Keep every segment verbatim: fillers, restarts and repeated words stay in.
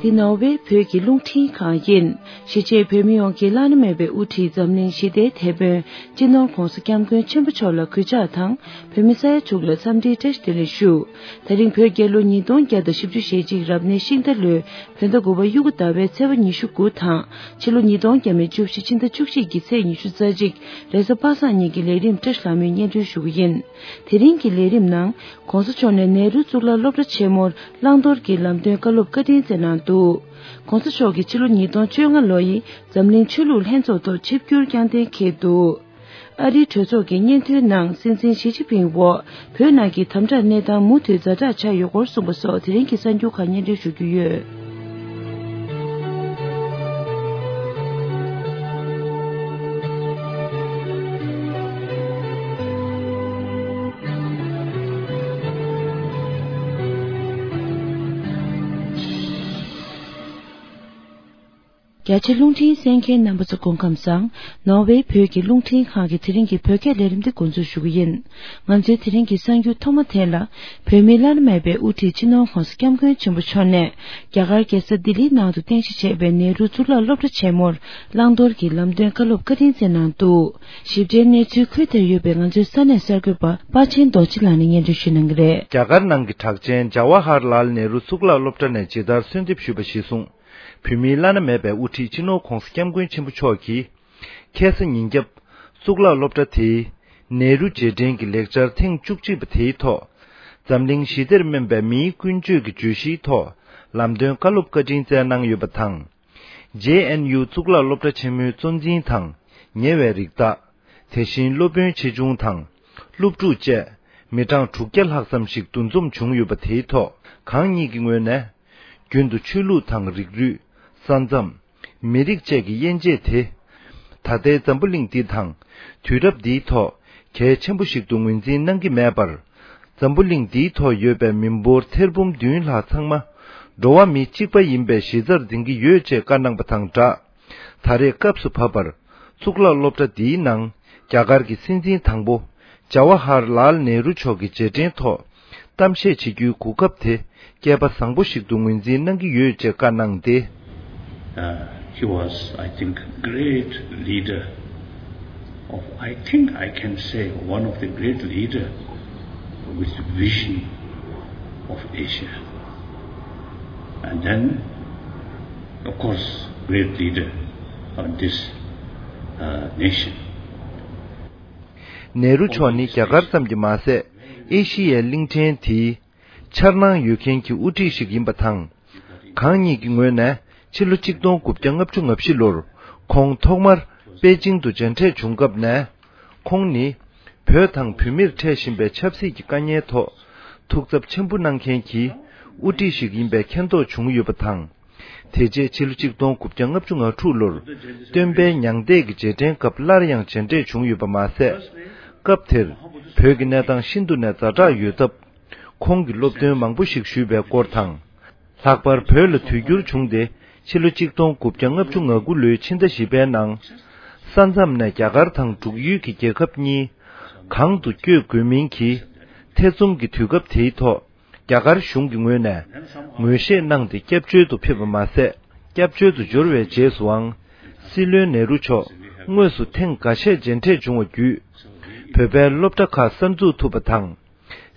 འདི་ནོར་ཝེ་བོད་ཀྱི་རླུང་འཕྲིན་ཁང་ཡིན། གཞིས་བྱེས་བོད་མི་ཡོངས་ཀྱི་བླ་ན་མེད་པའི་དབུ་ཁྲིད་འཛམ་གླིང་ཞི་བདེའི་དེད་དཔོན་སྤྱི་ནོར་༧གོང་ས་༧སྐྱབས་མགོན་ཆེན་པོ་མཆོག་ལ་གུས་ཕྱག་དང་། བོད་མི་ས་ཡ་དྲུག་ལ་འཚམས་འདྲིའི་བཀྲ་ཤིས་བདེ་ལེགས་ཞུ། དེ་རིང་བོད་རྒྱལ་ལོ་ཉིས་སྟོང་བརྒྱ་དང་བཞི་བཅུ་ཞེ་གཅིག་རབ་གནས་ཤིང་རྟ་ལོའི་བོད་ཟླ་དགུ་པ་དབྱུག་གུ་ཟླ་བའི་ཚེས་པ་ཉི་ཤུ་དགུ་དང་། ཕྱི་ལོ་ཉིས་སྟོང་བརྒྱ་མེད་བཅུ་བཞི་ཕྱི་ཟླ་བཅུ་གཅིག་གི་ཚེས་ཉི་ཤུ་རྩ་གཅིག་རེས་གཟའ་པ་སངས་ཉིན་གྱི་ལས་རིམ་བཀྲ་ཤིས་ལྷ་མོས་སྙན་སྒྲོན་ཞུ་གི་ཡིན། དེ་རིང་གི་ལས་རིམ་ནང་། ༸གོང་ས་མཆོག་ནས་ནེ་རུ་གཙུག་ལག་སློབ་གྲྭ་ཆེན་མོར་བླང་དོར་གྱི་ལམ་སྟོན་བཀའ་སློབ་བཀའ་དྲིན་སྩལ་གནང་འདུག ༸གོང་ས་མཆོག་གིས་ཕྱི་ལོ་ཉིས་སྟོང་བཅོ་ལྔ་ལོ་ཡི་འཛམ་གླིང་ཆོས་ལུགས་ལྷན་ཚོགས་ཐོག་ཆིབས་བསྒྱུར་བསྐྱངས་གཏན་འཁེལ་འདུག་ཨ་རིའི་གྲོས་ཚོགས་ཀྱི་སྙན་ཐོའི་ནང་སྲིད་འཛིན་ཞི་ཅིན་ཕིང་འོག་བོད་ནང་གི་དམ་དྲག་གནས་སྟངས་མུ་མཐུད་ཛ་དྲག་ཆགས་ཡོད་སྐོར་གསུངས་པ་སོགས་དེ་རིང་གི་གསར་འགྱུར་ཁག་སྙན་སྒྲོན་ཞུ་རྒྱུ་ཡོད། རྒྱ་ཆེ་རླུང་འཕྲིན་གསན་མཁན་རྣམ་པ་ཚོ་སྐུ་ཁམས་བཟང་། ནོར་ཝེ་བོད་ཀྱི་རླུང་འཕྲིན་ཁང་གི་དེ་རིང་གི་བོད་སྐད་ལས་རིམ་འདི་འགོ་འཛུགས་ཞུ་གི་ཡིན། ང་ཚོའི་དེ་རིང་གི་གསར་འགྱུར་ཐོག་མ་དེ་ལ། བོད་མིའི་བླ་ན་མེད་པའི་དབུ་ཁྲིད་སྤྱི་ནོར་༸གོང་ས་༸སྐྱབས་མགོན་ཆེན་པོ་མཆོག་ནས། རྒྱ་གར་རྒྱལ་ས་ལྡི་ལིའི་ནང་དུ་རྟེན་གཞི་བྱས་པའི་ནེ་རུ་གཙུག་ལག་སློབ་གྲྭ་ཆེན་མོར། བླང་དོར་གྱི་ལམ་སྟོན་བཀའ་སློབ་བཀའ་དྲིན་སྩལ་གནང་འདུག་ཞིབ་ཕྲའི་གནས་ཚུལ་ཁུལ་དེར་ཡོད་པའི་ང་ཚོའི་ས་གནས་གསར་འགོད་པ་དཔའ་ཆེན་རྡོ་རྗེ་ལགས་ནས་སྙན་སྒྲོན་ཞུ་གནང་གི་རེད། རྒྱ་གར་ནང་གི་གྲགས་ཅན་ཇ་ཝ་ཧར་ལཱལ་ནེ་རུ་གཙུག་ལག་སློབ་གྲྭ་ནས་ཇི་ལྟར་གསོལ་འདེབས་ཞུས་པ་གཞིར་བཟུང་། བོད་མིའི་བླ་ན་མེད་པའི་དབུ་ཁྲིད་སྤྱི་ནོར་༸གོང་ས་༸སྐྱབས་མགོན་ཆེན་པོ་མཆོག་གིས། ཁ་སང་ཉིན་རྒྱབ། གཙུག་ལག་སློབ་གྲྭ་དེའི་ནེ་རུ་རྗེས་དྲན་གྱི་ལེགས་སྦྱར་ཐེངས་བཅུ་གཅིག་པ་དེའི་ཐོག་འཛམ་གླིང་ཞི་བདེར་སྨན་པའི་མིའི་ཀུན་སྤྱོད་ཀྱི་བརྗོད་གཞིའི་ཐོག་ལམ་སྟོན་བཀའ་སློབ་བཀའ་དྲིན་སྩལ་གནང་ཡོད་པ་དང་། ཇེ་ཨེན་ཡུ་གཙུག་ལག་སློབ་གྲྭ་ཆེན་མོའི་གཙོ་འཛིན་དང་ཉེ་བའི་རིགས་བདག་དེ་བཞིན་སློབ་དཔོན་ཆེ་ཆུང་དང་། སློབ་ཕྲུག་བཅས་མི་གྲངས་དྲུག་བརྒྱ་ལྷག་ཙམ་ཞིག་འདུ་འཛོམས་བྱུང་ཡོད་པ་དེའི་ཐོག་གང་ཉིད་ཀྱི་ངོས་ནས། རྒྱུན་དུ་ཆོས་ལུགས་དང་རིགས་རུས། ས་མཚམས། མི་རིགས་བཅས་ཀྱི་དབྱེ་འབྱེད་དེ། ད་ལྟའི་འཛམ་བུ་གླིང་འདི་དང་། དུས་རབས་འདིའི་ཐོག་གལ་ཆེན་པོ་ཞིག་ཏུ་ངོས་འཛིན་གནང་གི་མེད་པར། འཛམ་བུ་གླིང་འདིའི་ཐོག་ཡོད་པའི་མི་འབོར་ཐེར་འབུམ་བདུན་ལྷག་ཚང་མ། འགྲོ་བ་མི་གཅིག་པ་ཡིན་པའི་གཞི་རྩར་འཛིན་གྱི་ཡོད་ཅེས་བཀའ་གནང་པ་དང་སྦྲགས། ད་རེས་སྐབས་སུ་བབ་པར། གཙུག་ལག་སློབ་གྲྭ་འདིའི་ནང་། རྒྱ་གར་གྱི་སྲིད་འཛིན་དང་པོ། ཇ་ཝ་ཧར་ལཱལ་ནེ་རུ་མཆོག་གི་རྗེས་དྲན་ཐོག་གཏམ་བཤད་བྱེད་རྒྱུའི་གོ་སྐབས་དེ། སྐལ་པ་བཟང་པོ་ཞིག་ཏུ་ངོས་འཛིན་གནང་གི་ཡོད་ཅེས་བཀའ་གནང་སྟེ། Uh, he was, I think, great leader of, I think I can say, one of the great leader with vision of Asia. And then, of course, great leader of this, uh, nation. ནེ་རུ་མཆོག་ནི་རྒྱ་གར་ཙམ་གྱིས་མ་ཟད། ཨེ་ཤི་ཡའི་གླིང་ཕྲན་དེའི་འཆར་སྣང་ཡོད་མཁན་གྱི་དབུ་ཁྲིད་ཞིག་ཡིན་པ་དང་། གང་ཉིད་ཀྱི་ངོས་ནས་ཕྱི་ལོ་གཅིག་སྟོང་དགུ་བརྒྱ་ལྔ་བཅུ་ང་བཞི་ལོར་ཁོང་ཐོག་མར་པེ་ཅིང་དུ་མཇལ་འཕྲད་བྱུང་སྐབས་ནས། ཁོང་ནི་བོད་དང་བོད་མིར་འཕྲད་བཞིན་པའི་ཆབ་སྲིད་ཀྱི་དཀའ་ངལ་ཐོག་ཐུགས་འཚབ་ཆེན་པོ་གནང་མཁན་གྱི་དབུ་ཁྲིད་ཞིག་ཡིན་པའི་མཁྱེན་རྟོགས་བྱུང་ཡོད་པ་དང་། དེ་རྗེས་ཕྱི་ལོ་གཅིག་སྟོང་དགུ་བརྒྱ་ལྔ་བཅུ་ང་དྲུག་ལོར་སྟོན་པའི་མྱང་འདས་ཀྱི་རྗེས་དྲན་སྐབས་སླར་ཡང་མཇལ་འཕྲད་བྱུང་ཡོད་པ་མ་ཟད། སྐབས་དེར་བོད་ཀྱི་གནས་སྟངས་ཤིན་ཏུ་ནས་ཛ་དྲག་ཡོད་སྟབས། ཁོང་གིས་སློབ་སྟོན་མང་པོ་ཞིག་ཞུས་པའི་སྐོར་དང་། ལྷག་པར་བོད་ལ་དུས་འགྱུར་བྱུང་སྟེ། ཕྱི་ལོ་གཅིག་སྟོང་དགུ་བརྒྱ་ལྔ་བཅུ་ང་དགུ་ལོའི་ཕྱི་ཟླ་བཞི་པའི་ནང་། ས་མཚམས་ནས་རྒྱ་གར་དང་འབྲུག་ཡུལ་གྱི་རྒྱལ་ཁབ་གཉིས་གང་དུ་བསྐྱོད་དགོས་མིན་གྱི་ཐེ་ཚོམ་གྱི་དུས་སྐབས་དེའི་ཐོག་རྒྱ་གར་གཞུང་གི་ངོས་ནས་ངོས་བཞེས་གནང་སྟེ། སྐྱབས་བཅོལ་དུ་ཕེབས་པ་མ་ཟད། སྐྱབས་བཅོལ་དུ་འབྱོར་བའི་རྗེས་སུའང་། སྲིད་བློན་ནེ་རུ་མཆོག་དངོས་སུ་ཐེངས་འགའ་ཤས་མཇལ་འཕྲད་བྱུང་བ་བརྒྱུད། བོད་པའི་སློབ་གྲྭ་ཁག་གསར་འཛུགས་ཐུབ་པ་དང་།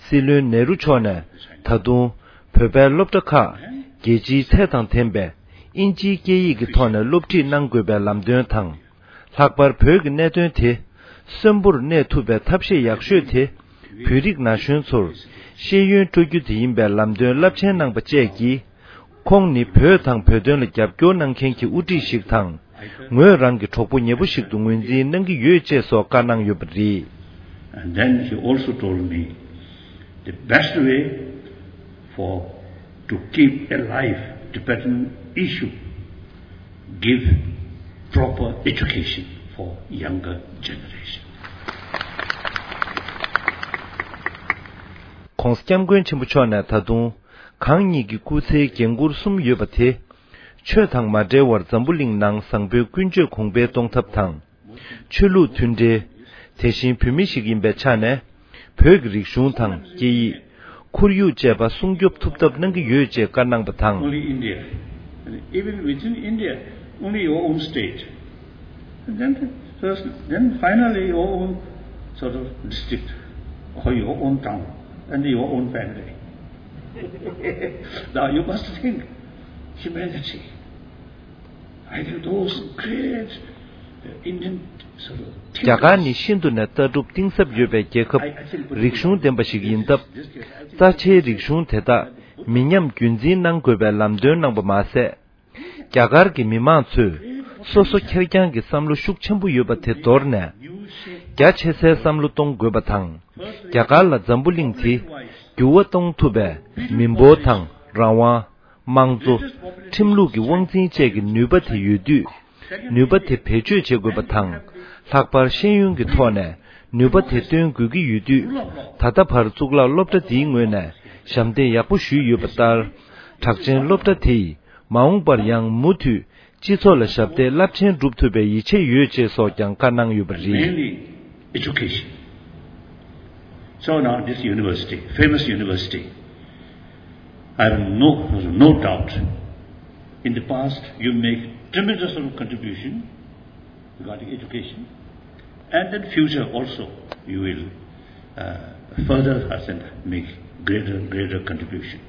སྲིད་བློན་ནེ་རུ་མཆོག་ནས་ད་དུང་བོད་པའི་སློབ་གྲྭ་ཁག་རྒྱལ་སྤྱིའི་ཚད་དང་ལྡན་པའི་ཨིན་ཇིའི་སྐད་ཡིག་གི་ཐོག་ནས་སློབ་ཁྲིད་གནང་དགོས་པའི་ལམ་སྟོན་དང་། ལྷག་པར་བོད་ཀྱི་གནད་དོན་དེ་གསོན་པོར་གནས་ཐུབ་པའི་ཐབས་ཤེས་ཡག་ཤོས་དེ། བོད་རིགས་ན་གཞོན་ཚོར་ཤེས་ཡོན་སྤྲོད་རྒྱུ་དེ་ཡིན་པའི་ལམ་སྟོན་རླབས་ཆེན་གནང་པ་བཅས་ཀྱིས། ཁོང་ནི་བོད་དང་བོད་དོན་ལ་རྒྱབ་སྐྱོར་གནང་མཁན་གྱི་དབུ་ཁྲིད་ཞིག་དང་། ངོས་རང་གི་གྲོགས་པོ་ཉེ་པོ་ཞིག་ཏུ་ངོས་འཛིན་གནང་གི་ཡོད་ཅེས་སོགས་བཀའ་གནང་ཡོད་པ་རེད། And then he also told me the best way for to keep alive Tibetan issue, give proper education for younger generation. ༸གོང་ས་༸སྐྱབས་མགོན་ཆེན་པོ་མཆོག་ནས་ད་དུང་། གང་ཉིད་ཀྱི་སྐུ་ཚེའི་འགན་འཁུར་གསུམ་ཡོད་པ་དེ། ཆོས་དང་མ་འབྲེལ་བར་འཛམ་བུ་གླིང་ནང་བཟང་པོའི་ཀུན་སྤྱོད་གོང་འཕེལ་གཏོང་ཐབས་དང་། ཆོས་ལུགས་མཐུན་འབྲེལ། དེ་བཞིན་བོད་མི་ཞིག་ཡིན་པའི་ཆ་ནས། བོད་ཀྱི་རིག་གཞུང་དང་སྐད་ཡིག་ཁོར་ཡུག་བཅས་པ་སྲུང་སྐྱོབ་ཐུབ་ཐབས་གནང་གི་ཡོད་ཅེས་བཀའ་གནང་པ་དང་། Only India. Even within India, only your own state. And then, first, then finally your own sort of district or your own town and your own family. Now you must think humanity. I think those great Indian sort of རྒྱ་གར་ནི་ཤིན་ཏུ་ནས་ལྟ་གྲུབ་གཏིང་ཟབ་ཡོད་པའི་རྒྱལ་ཁབ་རིག་གཞུང་ལྡན་པ་ཞིག་ཡིན་སྟབས། རྩ་ཆེའི་རིག་གཞུང་དེ་དག་མི་ཉམས་རྒྱུན་འཛིན་གནང་དགོས་པའི་ལམ་སྟོན་གནང་པ་མ་ཟད། རྒྱ་གར་གྱི་མི་མང་ཚོས་སོ་སོ་ཁེར་རྐྱང་གི་བསམ་བློ་ཤུགས་ཆེན་པོ་ཡོད་པ་དེ་དོར་ནས། རྒྱ་ཆེ་སའི་བསམ་བློ་གཏོང་དགོས་པ་དང་། རྒྱ་གར་ལ་འཛམ་བུ་གླིང་དེ་འགྱུར་བ་གཏོང་ཐུབ་པའི་མི་འབོར་དང་རང་དབང་། དམངས་གཙོ། ཁྲིམས་ལུགས་ཀྱི་དབང་འཛིན་བཅས་ཀྱི་ནུས་པ་དེ་ཡོད་དུས། ནུས་པ་དེ་བེད་སྤྱོད་བྱེད་དགོས་པ་དང་། ལྷག་པར་ཤེས་ཡོན་གྱི་ཐོག་ནས་ནུས་པ་དེ་བཏོན་དགོས་ཀྱི་ཡོད་དུས། ད་ལྟ་བར་གཙུག་ལག་སློབ་གྲྭ་འདིའི་ངོས་ནས་ཞབས་འདེགས་ཡག་པོ་ཞུས་ཡོད་པ་ལྟར། གྲགས་ཅན་སློབ་གྲྭ་དེས་མ་འོངས་པར་ཡང་མུ་མཐུད་སྤྱི་ཚོགས་ལ་ཞབས་འདེགས་རླབས་ཆེན་སྒྲུབ་ཐུབ་པའི་ཡིད་ཆེས་ཡོད་ཅེས་སོགས་ཀྱང་བཀའ་གནང་ཡོད་པ་རེད། Mainly education. So now this university, famous university, I have no, no doubt. In the past, you make tremendous sort of contribution regarding education, and in future also you will, uh, further, I think, make greater, greater contribution.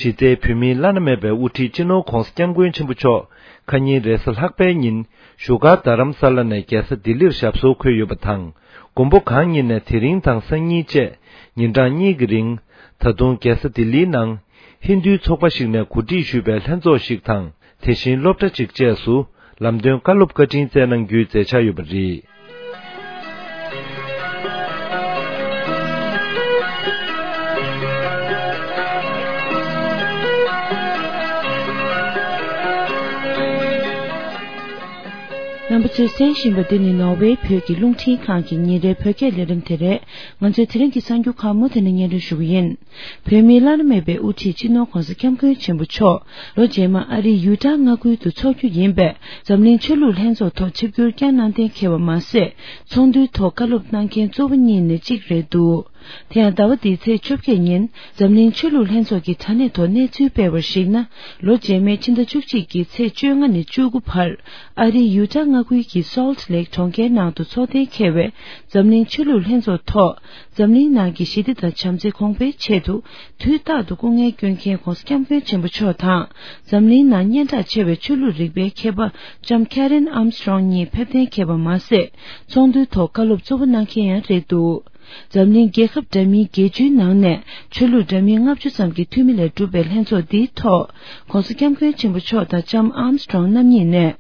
གཞི་རྩའི་བོད་མིའི་བླ་ན་མེད་པའི་དབུ་ཁྲིད་སྤྱི་ནོར་༧གོང་ས་༧སྐྱབས་མགོན་ཆེན་པོ་མཆོག་ཁ་ཉིན་རེས་གཟའ་ལྷག་པའི་ཉིན་བཞུགས་སྒར་རྡ་རམ་ས་ལ་ནས་རྒྱལ་ས་ལྡི་ལིར་ཞབས་སོར་འཁོད་ཡོད་པ་དང་། མགོན་པོ་གང་ཉིད་ནས་དེ་རིང་དང་སང་ཉིན་བཅས་ཉིན་གྲངས་གཉིས་ཀྱི་རིང་། ད་དུང་རྒྱལ་ས་ལྡི་ལིའི་ནང་ཧིན་རྡུའི་ཚོགས་པ་ཞིག་ནས་གོ་སྒྲིག་ཞུས་པའི་ལྷན་ཚོགས་ཤིག་དང་། དེ་བཞིན་སློབ་གྲྭ་གཅིག་བཅས་སུ་ལམ་སྟོན་བཀའ་སློབ་བཀའ་དྲིན་སྩལ་གནང་རྒྱུའི་མཛད་འཆར་ཡོད་པ་རེད། རྣམ་པ་ཚོས་གསན་བཞིན་པ་འདི་ནི་ནོར་ཝེ་བོད་ཀྱི་རླུང་འཕྲིན་ཁང་གི་ཉིན་རེའི་བོད་སྐད་ལས་རིམ་དེ་རེད། ང་ཚོའི་དེ་རིང་གི་གསར་འགྱུར་ཁག་མུ་མཐུད་ནས་སྙན་སྒྲོན་ཞུ་གི་ཡིན། བོད་མིའི་བླ་ན་མེད་པའི་དབུ་ཁྲིད་སྤྱི་ནོར་༧གོང་ས་༧སྐྱབས་མགོན་ཆེན་པོ་མཆོག་ལོ་རྗེས་མ་ཨ་རིའི་ཡུ་ཊ་མངའ་ཁུལ་དུ་འཚོགས་རྒྱུ་ཡིན་པས། འཛམ་གླིང་ཆོས་ལུགས་ལྷན་ཚོགས་ཐོག་ཆིབས་བསྒྱུར་བསྐྱངས་གནང་གཏན་འཁེལ་བ་མ་ཟད། ཚོགས་འདུའི་ཐོག་བཀའ་སློབ་གནང་མཁན་གཙོ་བོ་གཉིས་ནས་གཅིག་རེད་འདུག་དེ་ཡང་ཟླ་བ་འདིའི་ཚེས་བཅོ་བརྒྱད་ཉིན་འཛམ་གླིང་ཆོས་ལུགས་ལྷན་ཚོགས་ཀྱི་དྲ་གནས་ཐོག་གནས་ཚུལ་སྤེལ་བར་གཞིགས་ན། ལོ་རྗེས་མའི་ཕྱི་ཟླ་བཅུ་གཅིག་གི་ཚེས་བཅོ་ལྔ་ནས་བཅུ་དགུ་བར་ཨ་རིའི་ཡུ་ཊ་མངའ་ཁུལ་གྱི་སོལ་ཊི་ལེག་གྲོང་ཁྱེར་ནང་དུ་འཚོགས་གཏན་འཁེལ་བའི་འཛམ་གླིང་ཆོས་ལུགས་ལྷན་ཚོགས་ཐོག་འཛམ་གླིང་ནང་གི་ཞི་བདེ་དང་བྱམས་བརྩེ་གོང་འཕེལ་ཆེད་དུ་དུས་རྟག་ཏུ་སྐུ་ངལ་བསྐྱོན་མཁན་༧གོང་ས་༧སྐྱབས་མགོན་ཆེན་པོ་མཆོག་དང་། འཛམ་གླིང་ནང་སྙན་གྲགས་ཆེ་བའི་ཆོས་ལུགས་རིག་པའི་མཁས་པ་ལྕམ་ཁེ་རེན་ཨམ་སི་ཊོང་གཉིས་ཕེབས་གཏན་འཁེལ་བ་མ་ཟད། ཚོགས་འདུའི་ཐོག་བཀའ་སློབ་གཙོ་བོ་གནང་མཁན་ཡང་རེད་འདུག་འཛམ་གླིང་རྒྱལ་ཁབ་འདྲ་མིན་བརྒྱད་ཅུའི་ནང་ནས་ཆོས་ལུགས་འདྲ་མིན་ལྔ་བཅུ་ཙམ་གྱི་འཐུས་མི་ལས་གྲུབ་པའི་ལྷན་ཚོགས་འདིའི་ཐོག ༧གོང་ས་༧སྐྱབས་མགོན་ཆེན་པོ་མཆོག་དང་ལྕམ་ཨམ་སི་ཊོང་རྣམ་གཉིས་ནས།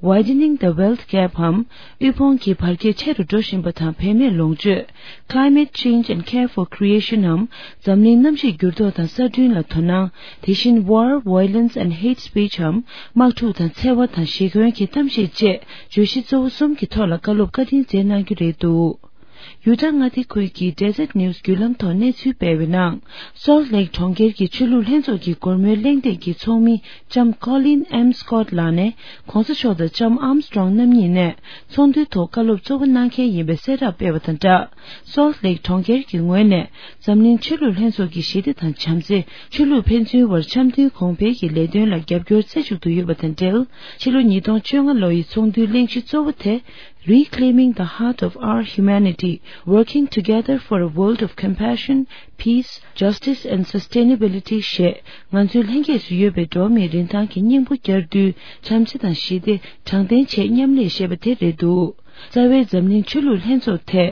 Widening the Wealth Gap འམ། དབུལ་ཕོངས་ཀྱི་བར་ཁྱད་ཆེ་རུ་འགྲོ་བཞིན་པ་དང་བེད་མེད་ལོངས་སྤྱོད། Climate Change and Care for Creation འམ། འཛམ་གླིང་གནམ་གཤིས་འགྱུར་ལྡོག་དང་གསར་སྐྲུན་ལ་དོ་སྣང་། དེ་བཞིན་War, Violence and Hate Speech འམ། དམག་འཁྲུག་དང་འཚེ་བ་དང་ཞི་རྒོལ་གྱི་གཏམ་བཤད་བཅས་བརྗོད་གཞི་གཙོ་བོ་གསུམ་གྱི་ཐོག་ལ་བཀའ་སློབ་བཀའ་དྲིན་སྩལ་གནང་རྒྱུ་རེད་འདུག་ཡུ་ཊ་མངའ་སྡེ་ཁུལ་གྱི་Deseret News བརྒྱུད་ལམ་ཐོག་གནས་ཚུལ་སྤེལ་བའི་ནང་། སོལ་ཊི་ལེག་གྲོང་ཁྱེར་གྱི་ཆོས་ལུགས་ལྷན་ཚོགས་ཀྱི་སྒོར་མོའི་གླེང་སྟེགས་ཀྱི་ཚོགས་མི་ལྕམ་Colleen M Scott ལགས་ནས་༧གོང་ས་མཆོག་དང་ལྕམ་ཨམ་སི་ཊོང་རྣམ་གཉིས་ནས་ཚོགས་འདུའི་ཐོག་བཀའ་སློབ་གཙོ་བོ་གནང་མཁན་ཡིན་པའི་གསལ་བསྒྲགས་སྤེལ་བ་དང་སྦྲགས། སོལ་ཊི་ལེག་གྲོང་ཁྱེར་གྱི་ངོས་ནས་འཛམ་གླིང་ཆོས་ལུགས་ལྷན་ཚོགས་ཀྱི་ཞི་བདེ་དང་བྱམས་བརྩེ། ཆོས་ལུགས་ཕན་ཚུན་བར་འཆམ་མཐུན་གོང་འཕེལ་གྱི་ལས་དོན་ལ་རྒྱབ་སྐྱོར་རྩེ་གཅིག་ཏུ་ཡོད་པ་དང་འབྲེལ། ཕྱི་ལོ་ཉིས་སྟོང་བཅོ་ལྔ་ལོ་ཡི་ཚོགས་འདུའི་གླེང་གཞི་གཙོ་བོ་དེ། Reclaiming the Heart of Our Humanity, Working Together for a World of Compassion, Peace, Justice and Sustainability ཞེས་ང་ཚོའི་ལྷན་སྐྱེས་སུ་ཡོད་པའི་འགྲོ་བ་མིའི་རིན་ཐང་གི་སྙིང་པོ་བསྐྱར་དུ་བྱམས་བརྩེ་དང་ཞི་བདེ་དྲང་བདེན་ཆེད་མཉམ་ལས་ཞེས་པ་དེ་རེད་འདུག་རྩ་བའི་འཛམ་གླིང་ཆོས་ལུགས་ལྷན་ཚོགས་དེ་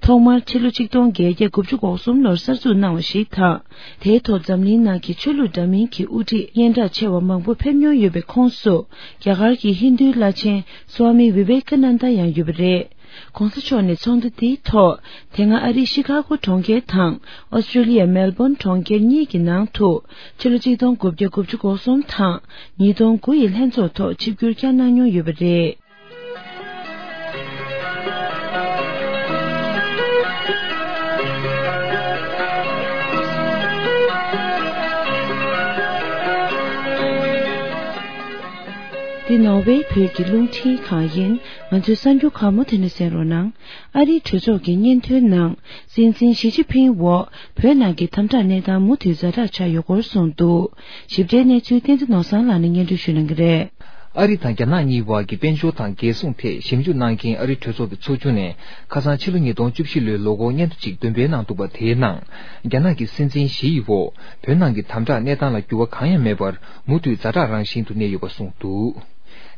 ཐོག་མར་ཕྱི་ལོ་ཆིག་སྟོང་བརྒྱད་བརྒྱ་དགུ་བཅུ་གོ་གསུམ་ལོར་གསར་འཛུགས་གནང་བ་ཞིག་དང་། དེའི་ཐོག་འཛམ་གླིང་ནང་གི་ཆོས་ལུགས་འདྲ་མིན་གྱི་དབུ་ཁྲིད་སྙན་གྲགས་ཆེ་བ་མང་པོ་ཕེབས་མྱོང་ཡོད་པའི་ཁོངས་སུ། རྒྱ་གར་གྱི་ཧིན་རྡུའི་བླ་ཆེན་སྭ་མི་བི་ཝེ་ཀ་ནན་ད་ཡང་ཡོད་པ་རེད། ༸གོང་ས་མཆོག་ནས་ཚོགས་འདུ་དེའི་ཐོག་དེ་སྔ་ཨ་རིའི་ཤི་ཁ་གོ་གྲོང་ཁྱེར་དང་ཨོ་སི་ཀྲི་ལི་ཡའི་མེལ་བོན་གྲོང་ཁྱེར་གཉིས་ཀྱི་ནང་དུ་ཕྱི་ལོ་ཆིག་སྟོང་དགུ་བརྒྱ་དགུ་བཅུ་གོ་གསུམ་དང་ཉིས་སྟོང་དགུ་ཡི་ལྷན་ཚོགས་ཐོག་ཆིབས་བསྒྱུར་བསྐྱངས་གནང་མྱོང་ཡོད་པ་རེད། འདི་ནོར་ཝེ་བོད་ཀྱི་རླུང་འཕྲིན་ཁང་ཡིན། ང་ཚོའི་གསར་འགྱུར་ཁག་མུ་མཐུད་ནས་གསན་རོགས་གནང་། ཨ་རིའི་གྲོས་ཚོགས་ཀྱི་སྙན་ཐོའི་ནང་། སྲིད་འཛིན་ཞི་ཅིན་ཕིང་འོག་བོད་ནང་གི་དམ་དྲག་གནས་སྟངས་མུ་མཐུད་ཛ་དྲག་ཆགས་ཡོད་སྐོར་གསུངས་འདུག། ཞིབ་ཕྲའི་གནས་ཚུལ་བསྟན་འཛིན་ནོར་བཟང་ལགས་ནས་སྙན་སྒྲོན་ཞུ་གནང་གི་རེད། ཨ་རི་དང་རྒྱ་ནག་གཉིས་བར་གྱི་དཔལ་འབྱོར་དང་རྒྱལ་སྲུང་ཐད་ཞིབ་འཇུག་གནང་མཁན་ཨ་རིའི་གྲོས་ཚོགས་ཀྱི་ཚོགས་ཆུང་ནས་ཁ་སང་ཕྱི་ལོ་ཉིས་སྟོང་བཅུ་བཞི་ལོའི་ལོ་འཁོར་སྙན་ཐོ་གཅིག་འདོན་སྤེལ་གནང་འདུག་པ། དེའི་ནང་རྒྱ་ནག་གི་སྲིད་འཛིན་ཞི་ཡི་འོག་བོད་ནང་གི་དམ་དྲག་གནས་སྟངས་ལ་འགྱུར་བ་གང་ཡང་མེད་པར་མུ་མཐུད་ཛ་དྲག་རང་བཞིན་དུ་གནས་ཡོད་པ་གསུངས་འདུག།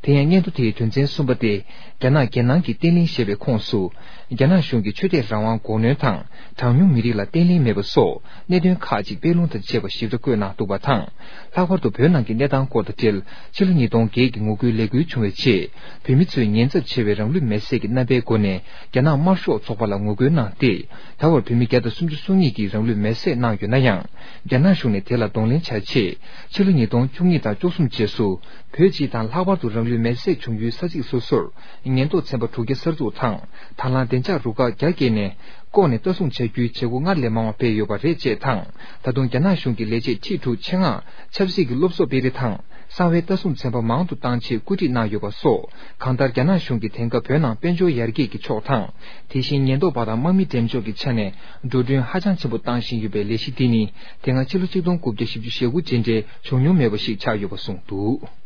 དེ་ཡང་སྙན་ཐོ་དེའི་དོན་ཚན་གསུམ་པ་སྟེ། རྒྱ་ནག་རྒྱལ་ནང་གི་བརྟན་ལྷིང་ཞེས་པའི་ཁོངས་སུ། རྒྱ་ནག་གཞུང་གིས་ཆོས་དད་རང་དབང་འགོག་གནོན་དང་། གྲངས་ཉུང་མི་རིགས་ལ་བརྟན་ལྷིང་མེད་པ་སོགས་གནད་དོན་ཁག་ཅིག་སྤེལ་ལུང་དང་བཅས་པ་ཞིབ་ཕྲ་བཀོད་གནང་འདུག་པ་དང་། ལྷག་པར་དུ་བོད་ནང་གི་གནས་སྟངས་སྐོར་དང་འབྲེལ། ཕྱི་ལོ་ཉིས་སྟོང་བརྒྱད་ཀྱི་ངོ་རྒོལ་ལས་འགུལ་བྱུང་བའི་རྗེས། བོད་མི་ཚོས་ཉེན་ཚབས་ཆེ་བའི་རང་ལུས་མེར་སྲེག་གི་རྣམ་པའི་སྒོ་ནས། རྒྱ་ནག་དམར་ཤོག་ཚོགས་པ་ལ་ངོ་རྒོལ་གནང་སྟེ། ད་བར་བོད་མི་བརྒྱ་དང་སུམ་ཅུ་སོ་གཉིས་ཀྱིས་རང་ལུས་མེར་སྲེག་གནང་ཡོད་ན་ཡང་། རྒྱ་ནག་གཞུང་ནས་དེ་ལ་གདོང་ལེན་བྱ་ཆེད། ཕྱི་ལོ་ཉིས་སྟོང་བཅུ་གཉིས་དང་བཅུ་གསུམ་རྗེས་སུ། བོད་སྤྱི་དང་ལྷག་པར་དུ་རང་ལུས་མེར་སྲེག་བྱུང་ཡུལ་ས་ཚིགས་སོ་སོར། ཉེན་རྟོག་ཚན་པ་དྲུག་བརྒྱ་གསར་འཛུགས་དང་། དང་བླངས་བདེ་འཇགས་རུ་ཁག་བརྒྱ་བརྒལ་ནས། བསྐོར་ནས་ལྟ་སྲུང་བྱ་རྒྱུའི་བྱེད་སྒོ་སྔར་ལས་མང་བ་སྤེལ་ཡོད་པ་རེད་ཅེས་དང་། ད་དུང་རྒྱ་ནག་གཞུང་གི་ལས་བྱེད་ཁྲི་དྲུག་ཆེད་མངགས་ཆབ་སྲིད་ཀྱི་སློབ་གསོ་སྤེལ་རེས་དང་། གསང་བའི་ལྟ་སྲུང་ཚན་པ་མང་དུ་བཏང་ཆེད་བཀོད་སྒྲིག་གནང་ཡོད་པ་སོགས། གང་ལྟར་རྒྱ་ནག་གཞུང་གིས་དེང་སྐབས་བོད་ནང་དཔལ་འབྱོར་ཡར་རྒྱས་ཀྱི་ཕྱོགས་དང་། དེ་བཞིན་ཉེན་རྟོག་པ་དང་དམག་མི་འགྲེམས་འཇོག་གི་ཆ་ནས་འགྲོ་གྲོན་ཧ་ཅང་ཆེན་པོ་བཏང་བཞིན་ཡོད་པའི་ལས་གཞི་འདི་ནི། དེ་སྔ་ཕྱི་ལོ་ཆིག་སྟོང་དགུ་བརྒྱ་བཞི་བཅུ་ཞེ་དགུ་རྗེས་འབྲེལ་བྱུང་མྱོང་མེད་པ་ཞིག་ཆགས་ཡོད་པ་གསུངས་འདུག།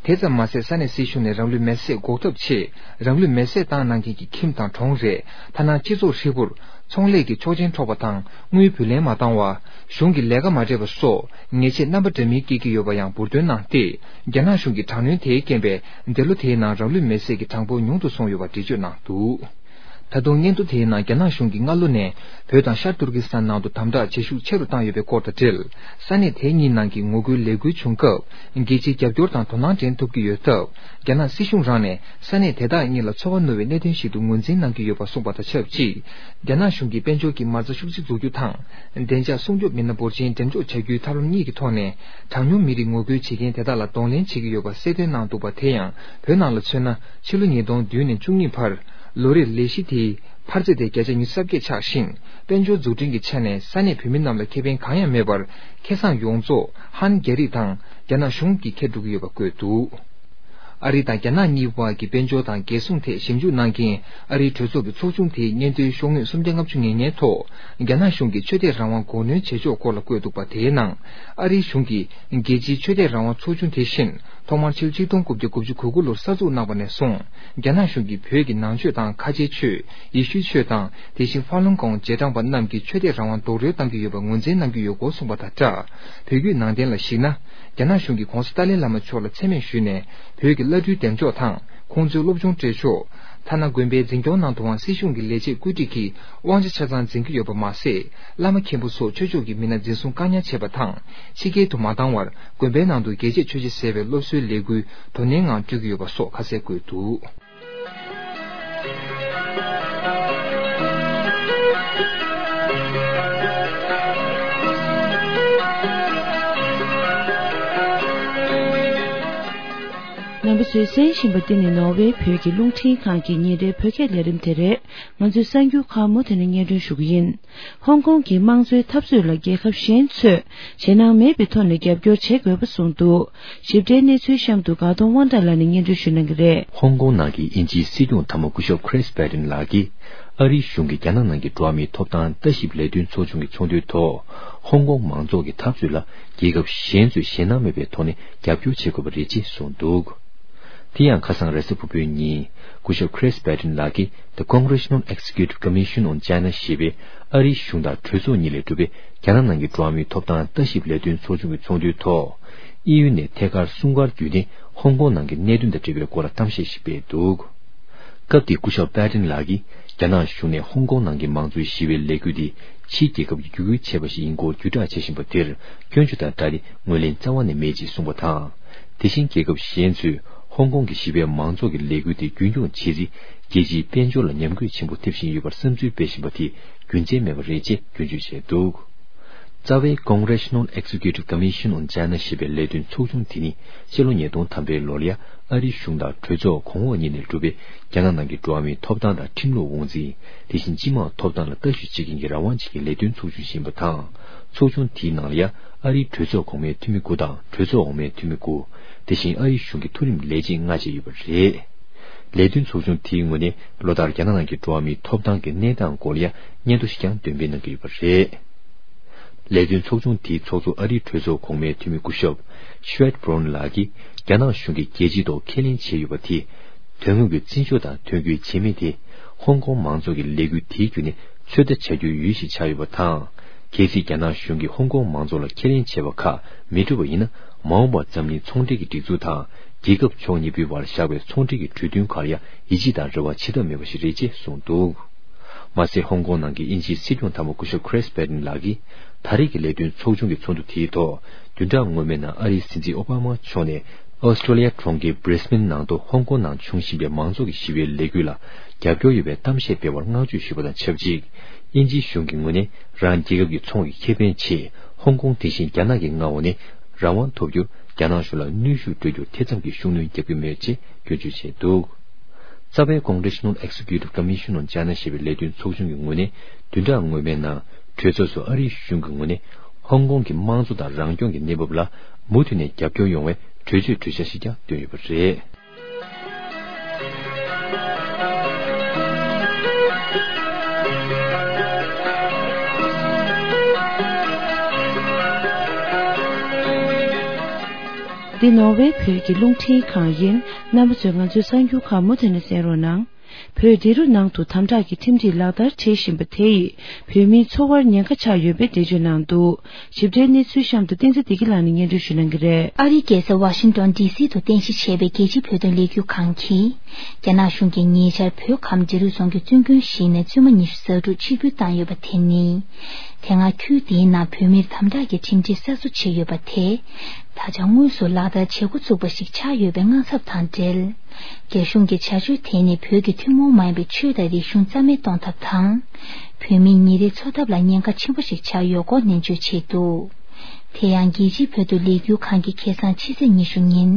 དེ་ཙམ་མ་ཟད། ས་གནས་སྲིད་གཞུང་ནས་རང་ལུས་མེར་སྲེག་འགོག་ཐབས་ཆེད། རང་ལུས་མེར་སྲེག་བཏང་གནང་མཁན་གྱི་ཁྱིམ་དང་གྲོང་རེད། ཐ་ན་སྤྱི་ཚོགས་ཧྲིལ་པོར་ཚོང་ལས་ཀྱི་ཆོག་མཆན་འཕྲོག་པ་དང་། དངུལ་བུ་ལེན་མ་བཏང་བ། གཞུང་གི་ལས་ཀ་མ་སྤྲད་པ་སོགས་ཉེས་ཆད་རྣམ་པ་འདྲ་མིན་བཀལ་གྱི་ཡོད་པ་ཡང་འབུར་འདོན་གནང་སྟེ། རྒྱ་ནག་གཞུང་གི་དྲག་གནོན་དེའི་རྐྱེན་པས། འདས་ལོ་དེའི་ནང་རང་ལུས་མེར་སྲེག་གི་གྲངས་འབོར་ཉུང་དུ་སོང་ཡོད་པ་འགྲེལ་བརྗོད་གནང་འདུག། ད་དུང་སྙན་ཐོ་དེའི་ནང་རྒྱ་ནག་གཞུང་གིས་སྔ་ལོ་ནས་བོད་དང་ཤར་ཏུར་ཀི་སི་ཐན་ནང་དུ་དམ་དྲག་བྱེད་ཤུགས་ཆེ་རུ་བཏང་ཡོད་པའི་སྐོར་དང་འབྲེལ། ས་གནས་དེ་གཉིས་ནང་གི་ངོ་རྒོལ་ལས་འགུལ་བྱུང་སྐབས། རྒྱལ་སྤྱིའི་རྒྱབ་སྐྱོར་དང་དོ་སྣང་འདྲེན་ཐུབ་ཀྱི་ཡོད་སྟབས། རྒྱ་ནག་སྲིད་གཞུང་རང་ནས་ས་གནས་དེ་དག་གཉིས་ལ་ཚོར་བ་རྣོ་བའི་གནད་དོན་ཞིག་ཏུ་ངོས་འཛིན་གནང་གི་ཡོད་པ་གསུངས་པ་དང་ཆབས་ཅིག། རྒྱ་ནག་གཞུང་གིས་དཔལ་འབྱོར་གྱི་མ་རྩ་ཤུགས་ཆེ་འཛུགས་རྒྱུ་དང་། བདེ་འཇགས་སྲུང་སྐྱོབ་མི་སྣ་འབོར་ཆེན་འགྲེམས་འཇོག་བྱ་རྒྱུའི་ཐབས་ལམ་གཉིས་ཀྱི་ཐོག་ནས། གྲངས་ཉུང་མི་རིགས་ངོ་རྒོལ་བྱེད་མཁན་དེ་དག་ལ་གདོང་ལེན་བྱེད་ཀྱི་ཡོད་པ་གསལ་སྟོན་གནང་འདུག་པ། དེ་ཡང་བོད་ནང་ལ་མཚོན་ན། ཕྱི་ལོ་ཉིས་སྟོང་བདུན་ནས་བཅུ་གཉིས་བར། ལོ་རེར་ལས་གཞི་དེའི་འཕར་ཚད་དེ་བརྒྱ་ཆ་ཉི་ཤུ་རྩ་བརྒྱད་ཆགས་ཤིང་། དཔལ་འབྱོར་འཛུགས་སྐྲུན་གྱི་ཆ་ནས་ས་གནས་བོད་མི་རྣམས་ལ་ཁེ་ཕན་གང་ཡང་མེད་པར། ཁེ་བཟང་ཡོངས་རྫོགས་ཧན་རྒྱ་རིགས་དང་རྒྱ་ནག་གཞུང་གིས་འཁྱེར་འགྲོ་གི་ཡོད་པ་བཀོད་འདུག། ཨ་རི་དང་རྒྱ་ནག་གཉིས་བར་གྱི་དཔལ་འབྱོར་དང་རྒྱལ་སྲུང་ཐད་ཞིབ་འཇུག་གནང་མཁན་ཨ་རིའི་གྲོས་ཚོགས་ཀྱི་ཚོགས་ཆུང་དེའི་སྙན་ཐོའི་ཤོག་ངོས་སུམ་བརྒྱ་ལྔ་བཅུ་ང་ལྔའི་ཐོག། རྒྱ་ནག་གཞུང་གིས་ཆོས་དད་རང་དབང་འགོག་གནོན་བྱེད་ཕྱོགས་སྐོར་ལ་བཀོད་འདུག་པ། དེའི་ནང་། ཨ་རིའི་གཞུང་གིས་རྒྱལ་སྤྱིའི་ཆོས་དད་རང་དབང་ཚོགས་ཆུང་དེ་བཞིན། ཐོག་མར་ཕྱི་ལོ་ཆིག་སྟོང་དགུ་བརྒྱ་དགུ་བཅུ་གོ་དགུ་ལོར་གསར་འཛུགས་གནང་བ་ནས་བཟུང་། རྒྱ་ནག་གཞུང་གིས་བོད་ཀྱི་ནང་ཆོས་དང་ཁ་ཆེའི་ཆོས། ཡེ་ཤུའི་ཆོས་དང་། དེ་བཞིན་ཧྥ་ལུང་ཀོང་རྗེས་འབྲང་པ་རྣམས་ཀྱི་ཆོས་དད་རང་དབང་རྡོག་རོལ་གཏང་གི་ཡོད་པར་ངོས་འཛིན་གནང་གི་ཡོད་སྐོར་གསུངས་པ་དང་སྦྲགས། བོད་བརྒྱུད་ནང་བསྟན་ལ་གཞིགས་ན། རྒྱ་ནག་གཞུང་གིས་༧གོང་ས་ཏཱ་ལའི་བླ་མ་མཆོག་ལ་མཚན་སྨད་ཞུས་ནས། བོད་ཀྱི་བླ་སྤྲུལ་འདེམས་འཇོག་དང་། ཁོང་ཚོའི་སློབ་སྦྱོང་སྤྲད་ཕྱོགས། ཐ་ན་དགོན་པའི་འཛིན་སྐྱོང་ནང་དུའང་སྲིད་གཞུང་གི་ལས་བྱེད་བཀོད་སྒྲིག་གིས་དབང་ཆ་ཆ་ཚང་འཛིན་གྱི་ཡོད་པ་མ་ཟད། བླ་མ་མཁན་པོ་སོགས་ཆོས་ཕྱོགས་ཀྱི་མི་སྣ་འཛིན་བཟུང་བཀག་ཉར་བྱས་པ་དང་། ཕྱི་རྒྱལ་དུ་མ་བཏང་བར། དགོན་པའི་ནང་དུ་རྒྱལ་གཅེས་ཆོས་གཞིས་ཟེར་བའི་སློབ་གསོའི་ལས་འགུལ་དོ་ནན་ངང་སྤྲོད་ཀྱི་ཡོད་པ་སོགས་ཁ་གསལ་བཀོད་འདུག། རྣམ་པ་ཚོས་གསན་བཞིན་པ་འདི་ནི་ནོར་ཝེ་བོད་ཀྱི་རླུང་འཕྲིན་ཁང་གི་ཉིན་རེའི་བོད་སྐད་ལས་རིམ་དེ་རེད། ང་ཚོའི་གསར་འགྱུར་ཁག་མུ་མཐུད་ནས་སྙན་སྒྲོན་ཞུ་གི་ཡིན། ཧོང་ཀོང་གི་དམངས་གཙོའི་འཐབ་རྩོད་ལ་རྒྱལ་ཁབ་གཞན་ཚོས་ཞེད་སྣང་མེད་པའི་ཐོག་ནས་རྒྱབ་སྐྱོར་བྱེད་དགོས་པ་གསུངས་འདུག། ཞིབ་ཕྲའི་གནས་ཚུལ་གཤམ་དུ་དགའ་གདོང་དབང་གྲགས་ལགས་ནས་སྙན་སྒྲོན་ཞུ་གནང་གི་རེད། ཧོང་ཀོང་ནང་གི་དབྱིན་ཇིའི་སྲིད་སྐྱོང་འཐབ་མོ་སྐུ་ཞབས་Chris Patten་ལགས་ཀྱིས་ཨ་རིའི་གཞུང་གིས་རྒྱ་ནག་ནང་གི་འགྲོ་བ་མིའི་ཐོབ་ཐང་ལྟ་ཞིབ་ལས་དོན་ཚོགས་ཆུང་གི་ཚོགས་འདུའི་ཐོག་ཧོང་ཀོང་མང་ཚོགས་ཀྱི་འཐབ་རྩོད་ལ་རྒྱལ་ཁབ་གཞན་ཚོས་ཞེད་སྣང་མེད་པའི་ཐོག་ནས་རྒྱབ་སྐྱོར་བྱེད་དགོས་པ་རེད་ཅེས་གསུངས་འདུག། དེ་ཡང་ཁ་སང་རེས་གཟའ་ཕུར་བུའི་ཉིན། སྐུ་ཞབས་Chris Patten་ལགས་ཀྱིས་The Congressional Executive Commission on China་ཞེས་པའི་ཨ་རིའི་གཞུང་དང་གྲོས་ཚོགས་གཉིས་ལས་གྲུབ་པའི་རྒྱ་ནག་ནང་གི་འགྲོ་བ་མིའི་ཐོབ་ཐང་ལྟ་ཞིབ་ལས་དོན་ཚོགས་ཆུང་གི་ཚོགས་འདུའི་ཐོག་དབྱིན་ཡུལ་ནས་ཐད་ཀར་སྲུང་སྐར་བརྒྱུད་ནས་ཧོང་ཀོང་ནང་གི་གནད་དོན་དང་འབྲེལ་བའི་སྐོར་ལ་གཏམ་བཤད་ཞིག་སྤེལ་འདུག། སྐབས་དེར་སྐུ་ཞབས་Patten་ལགས་ཀྱིས་རྒྱ་ནག་གཞུང་ནས་ཧོང་ཀོང་ནང་གི་མང་གཙོའི་ཞི་བའི་ལས་འགུལ་འདི་ཕྱིའི་རྒྱལ་ཁབ་ཀྱིས་བརྒྱུད་སྐུལ་བྱས་པ་ཞིག་ཡིན་སྐོར་བརྒྱུད་བསྒྲགས་བྱེད་བཞིན་པ་དེར་སྐྱོན་བརྗོད་དང་སྦྲགས་ཏེ་ངོས་ལེན་རྩ་བ་ནས་མེད་ཅེས་གསུངས་པ་དང་། དེ་བཞིན་རྒྱལ་ཁབ་གཞན་ཚོས་ཧོང་ཀོང་གི་ཞི་བའི་མང་ཚོགས་ཀྱི་ལས་འགུལ་དེ་རྒྱུན་འཁྱོངས་བྱེད་རིང་རྒྱལ་སྤྱིའི་དཔལ་འབྱོར་ལ་ཉམས་རྒུད་ཆེན་པོ་ཐེབས་བཞིན་ཡོད་པར་བསམ་ཚུལ་སྤེལ་བཞིན་པ་དེ་རྒྱུ་མཚན་མེད་པ་རེད་ཅེས་སྐྱོན་བརྗོད་བྱས་འདུག། རྩ་བའི་Congressional Executive Commission on China ཞེས་པའི་ལས་དོན་ཚོགས་ཆུང་དེ་ནི་ཕྱི་ལོ་ཉིས་སྟོང་ཐམ་པའི་ལོར་ཡ་ཨ་རིའི་གཞུང་དང་གྲོས་ཚོགས་གོང་འོག་གཉིས་ནས་གྲུབ་པའི་རྒྱ་ནག་ནང་གི་འགྲོ་བ་མིའི་ཐོབ་ཐང་དང་ཁྲིམས་ལུགས་དབང་འཛིན། དེ་བཞིན་སྤྱི་དམངས་ཐོབ་ཐང་ལ་ལྟ་ཞིབ་བྱེད་མཁན་གྱི་རང་དབང་ཅན་གྱི་ལས་དོན་ཚོགས་ཆུང་ཞིག་ཡིན་པ་དང་། ཚོགས་ཆུང་དེའི་ནང་ལ་ཡ་ཨ་རིའི་གྲོས་ཚོགས་གོང་མའི་འཐུས་མི་དགུ་དང་གྲོས་ཚོགས་འོག་མའི་འཐུས་མི་དགུ། དེ་བཞིན་ཨ་རིའི་གཞུང་གི་མཐོ་རིམ་ལས་བྱེད་ལྔ་བཅས་ཡོད་པ་རེད། ལས་དོན་ཚོགས་ཆུང་དེའི་ངོས་ནས་ལོ་ལྟར་རྒྱ་ནག་ནང་གི་འགྲོ་བ་མིའི་ཐོབ་ཐང་གི་གནས་སྟངས་སྐོར་ལ་ཡ་སྙན་ཐོ་ཞིག་ཀྱང་འདོན་སྤེལ་གནང་གི་ཡོད་པ་རེད། ལས་དོན་ཚོགས་ཆུང་དེའི་ཚོགས་གཙོ་ཨ་རིའི་གྲོས་ཚོགས་གོང་མའི་འཐུས་མི་སྐུ་ཞབས་ཤུ་ཝེད་བྷོན་ལགས་ཀྱིས་རྒྱ་ནག་གཞུང་གིས་རྒྱལ་སྤྱིའི་ཐོག་ཁས་ལེན་བྱས་ཡོད་པ་དེ། དོན་དངོས་ཀྱི་བརྩི་འཇོག་དང་དོན་འཁྱོལ་བྱེད་མིན་དེ། ཧོང་ཀོང་མང་ཚོགས་ཀྱི་ལས་འགུལ་དེའི་བརྒྱུད་ནས་ཚོད་ལྟ་བྱ་རྒྱུའི་ཡུལ་ཞིག་ཆགས་ཡོད་པ་དང་། གལ་སྲིད་རྒྱ་ནག་གཞུང་གིས་ཧོང་ཀོང་མང་ཚོགས་ལ་ཁས་ལེན་བྱས་པ་ཁག་མི་སྒྲུབ་པ་ཡིན་ན། མ་འོངས་པར་འཛམ་གླིང་ཚོང་འབྲེལ་གྱི་སྒྲིག་འཛུགས་དང་། རྒྱལ་ཁབ་ཕྱོགས་གཉིས་པོའི་བར་བཞག་པའི་ཚོང་འབྲེལ་གྱི་གྲོས་མཐུན་ཁག་ལ་ཡང་ཡིད་ཆེས་དང་རེ་བ་བྱེད་ཐབས་མེད་པ་ཞིག་རེད་ཅེས་གསུངས་འདུག། མ་ཟད། ཧོང་ཀོང་ནང་གི་དབྱིན་ཇིའི་སྲིད་སྐྱོང་དམ་པ་སྐུ་ཞབས་Chris Patten ལགས་ཀྱིས། ད་རེས་ཀྱི་ལས་དོན་ཚོགས་ཆུང་གི་ཚོགས་འདུ་དེའི་ཐོག་བདུན་ཕྲག་སྔོན་མའི་ནང་ཨ་རིའི་སྲིད་འཛིན་ཨོ་བྷ་མ་མཆོག་ནས། ཨོ་སི་ཀྲོ་ལི་ཡ་གྲོང་ཁྱེར་Brisbane ནང་དུ་ཧོང་ཀོང་ནང་བྱུང་བཞིན་པའི་མང་ཚོགས་ཀྱི་ཞི་བའི་ལས་འགུལ་ལ་རྒྱབ་སྐྱོར་ཡོད་པའི་གཏམ་བཤད་སྤེལ་བར་བསྔགས་བརྗོད་ཞུས་པ་དང་ཆབས་ཅིག། དབྱིན་ཇིའི་གཞུང་གི་ངོས་ནས་རང་རྒྱལ་ཁབ་ཀྱི་ཚོང་གི་ཁེ་ཕན་ཆེད་ཧོང་ཀོང་དེ་བཞིན་རྒྱ་ནག་གིས་མངའ་འོག་ནས་རང་དབང་ཐོབ་རྒྱུར་རྒྱ་ནག་གཞུང་ལ་གནོན་ཤུགས་སྤྲོད་རྒྱུར་ཐེ་ཚོམ་གྱི་ཤུགས་སྣོན་རྒྱག་གི་མེད་ཅེས་སྐྱོན་བརྗོད་བྱས་འདུག། རྩ་བའི་Congressional Executive Commission on China ཞེས་པའི་ལས་དོན་ཚོགས་ཆུང་གི་ངོས་ནས་བདུན་ཕྲག་སྔོན་མའི་ནང་གྲོས་ཚོགས་སུ་ཨ་རིའི་གཞུང་གི་ངོས་ནས་ཧོང་ཀོང་གི་དམངས་གཙོ་དང་རང་སྐྱོང་གི་གནས་བབ་ལ་མུ་མཐུད་ནས་རྒྱབ་སྐྱོར་ཡོང་བའི་གྲོས་ཆོད་གྲོས་འཆར་ཞིག་ཀྱང་བཏོན་ཡོད་པ་རེད། འདི་ནོར་ཝེ་བོད་ཀྱི་རླུང་འཕྲིན་ཁང་ཡིན། རྣམ་པ་ཚོས་ང་ཚོའི་གསར་འགྱུར་ཁག་མུ་མཐུད་ནས་གསན་རོགས་གནང་། བོད་འབྲི་རུ་ནང་དུ་དམ་དྲག་གི་ཁྲིམས་སྒྲིག་ལག་བསྟར་བྱེད་བཞིན་པ་དེ་ཡིས་བོད་མིའི་འཚོ་བར་ཉེན་ཁ་ཆགས་ཡོད་པའི་འགྲེལ་བརྗོད་གནང་འདུག། ཞིབ་ཕྲའི་གནས་ཚུལ་གཤམ་དུ་བསྟན་འཛིན་བདེ་སྐྱིད་ལགས་ནས་སྙན་སྒྲོན་ཞུ་གནང་གི་རེད། ཨ་རིའི་རྒྱལ་ས་ཝ་ཤིང་ཏོན་ཌི་སི་དུ་རྟེན་གཞི་བྱས་པའི་རྒྱལ་སྤྱིའི་བོད་དོན་ལས་འགུལ་ཁང་གིས། རྒྱ་ནག་གཞུང་གིས་ཉེ་ཆར་བོད་ཁམས་འབྲི་རུ་རྫོང་གི་བཙུན་དགོན་ཞིག་ནས་བཙུན་མ་ཉི་ཤུ་རྩ་དྲུག་ཆིག་སྒྱུར་བཏང་ཡོད་པ་དེ་ནི། དེ་སྔ་ཁུལ་དེའི་ནང་བོད་མིར་དམ་དྲག་གི་ཁྲིམས་སྒྲིག་གསར་བཟོ་བྱས་ཡོད་པ་དེ། ད་ཆ་དངོས་སུ་ལག་བསྟར་བྱེད་འགོ་བཙུགས་པ་ཞིག་ཆགས་ཡོད་པའི་དངངས་འཚབ་དང་འབྲེལ། རྒྱ་གཞུང་གི་བྱ་སྤྱོད་དེ་ནི་བོད་ཀྱི་ཐུན་མོང་མ་ཡིན་པའི་ཆོས་དང་རིག་གཞུང་རྩ་མེད་གཏོང་ཐབས་དང་། བོད་མིའི་ཉིན་རེའི་འཚོ་ཐབས་ལ་ཉེན་ཁ་ཆེན་པོ་ཞིག་ཆགས་ཡོད་སྐོར་ནན་བརྗོད་བྱས་འདུག། དེ་ཡང་རྒྱལ་སྤྱིའི་བོད་དོན་ལས་འགུལ་ཁང་གིས་ཁ་སང་ཕྱི་ཚེས་ཉི་ཤུ་ཉིན།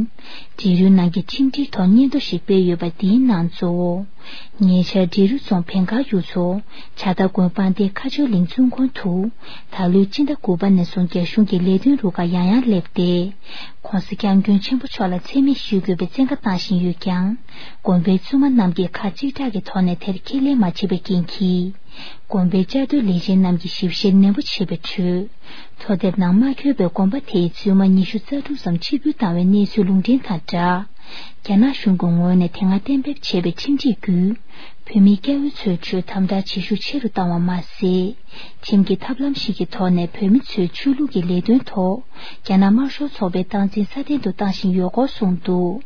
འབྲི་རུའི་ནང་གི་ཁྲིམས་སྒྲིག་ཐོག་སྙན་ཐོ་ཞིག་སྤེལ་ཡོད་པ་འདིའི་ནང་གཙོ་བོ། ཉེ་ཆར་འབྲི་རུ་རྫོང་བན་དཀར་ཡུལ་ཚོ། བྱ་རྟ་དགོན་སྤང་སྡེ་མཁར་ཆུ་གླིང་བཙུན་དགོན་དུ། ད་ལོའི་སྤྱི་ཟླ་དགུ་པ་ནས་བཟུང་རྒྱ་གཞུང་གི་ལས་དོན་རུ་ཁག་ཡང་ཡང་སླེབས་ཏེ། ྋགོང་ས་ྋསྐྱབས་མགོན་ཆེན་པོ་མཆོག་ལ་མཚན་སྨད་ཞུ་དགོས་པའི་བཙན་བཀའ་བཏང་བཞིན་ཡོད་ཀྱང་། དགོན་པའི་བཙུན་མ་རྣམས་ཀྱིས་ཁག་གཅིག་གྲགས་ཀྱི་ཐོག་ནས་དེར་ཁས་ལེན་མ་བྱས་པའི་རྐྱེན་གྱིས། དགོན་པའི་བཅའ་སྡོད་ལས་བྱེད་རྣམས་ཀྱིས་ཞིབ་བཤེར་ནན་པོ་བྱས་པའི་ཁྲོད། མཐོ་ལྡེབ་ནང་མ་འཁོད་པའི་དགོན་པ་དེའི་བཙུན་མ་ཉི་ཤུ་རྩ་དྲུག་ཙམ་ཆིག་སྒྱུར་བཏང་བའི་གནས་ཚུལ་ལུང་འདྲེན་དང་སྦྲགས། རྒྱ་ནག་གཞུང་གི་ངོས་ནས་དེ་སྔ་གཏན་འབེབས་བྱས་པའི་ཁྲིམས་སྒྲིག་བརྒྱུད། བོད་མིའི་སྐྱ་བོ་ཚོའི་ཁྲོད་དམ་དྲག་བྱེད་ཤུགས་ཆེ་རུ་བཏང་བ་མ་ཟད། ཁྲིམས་ཀྱི་ཐབས་ལམ་ཞིག་གི་ཐོག་ནས་བོད་མི་ཚོའི་ཆོས་ལུགས་ཀྱི་ལས་དོན་ཐོག་རྒྱ་ནག་དམར་ཤོག་ཚོགས་པའི་སྟངས་འཛིན་སྲ་བརྟན་དུ་བཏང་བཞིན་ཡོད་སྐོར་གསུངས་འདུག།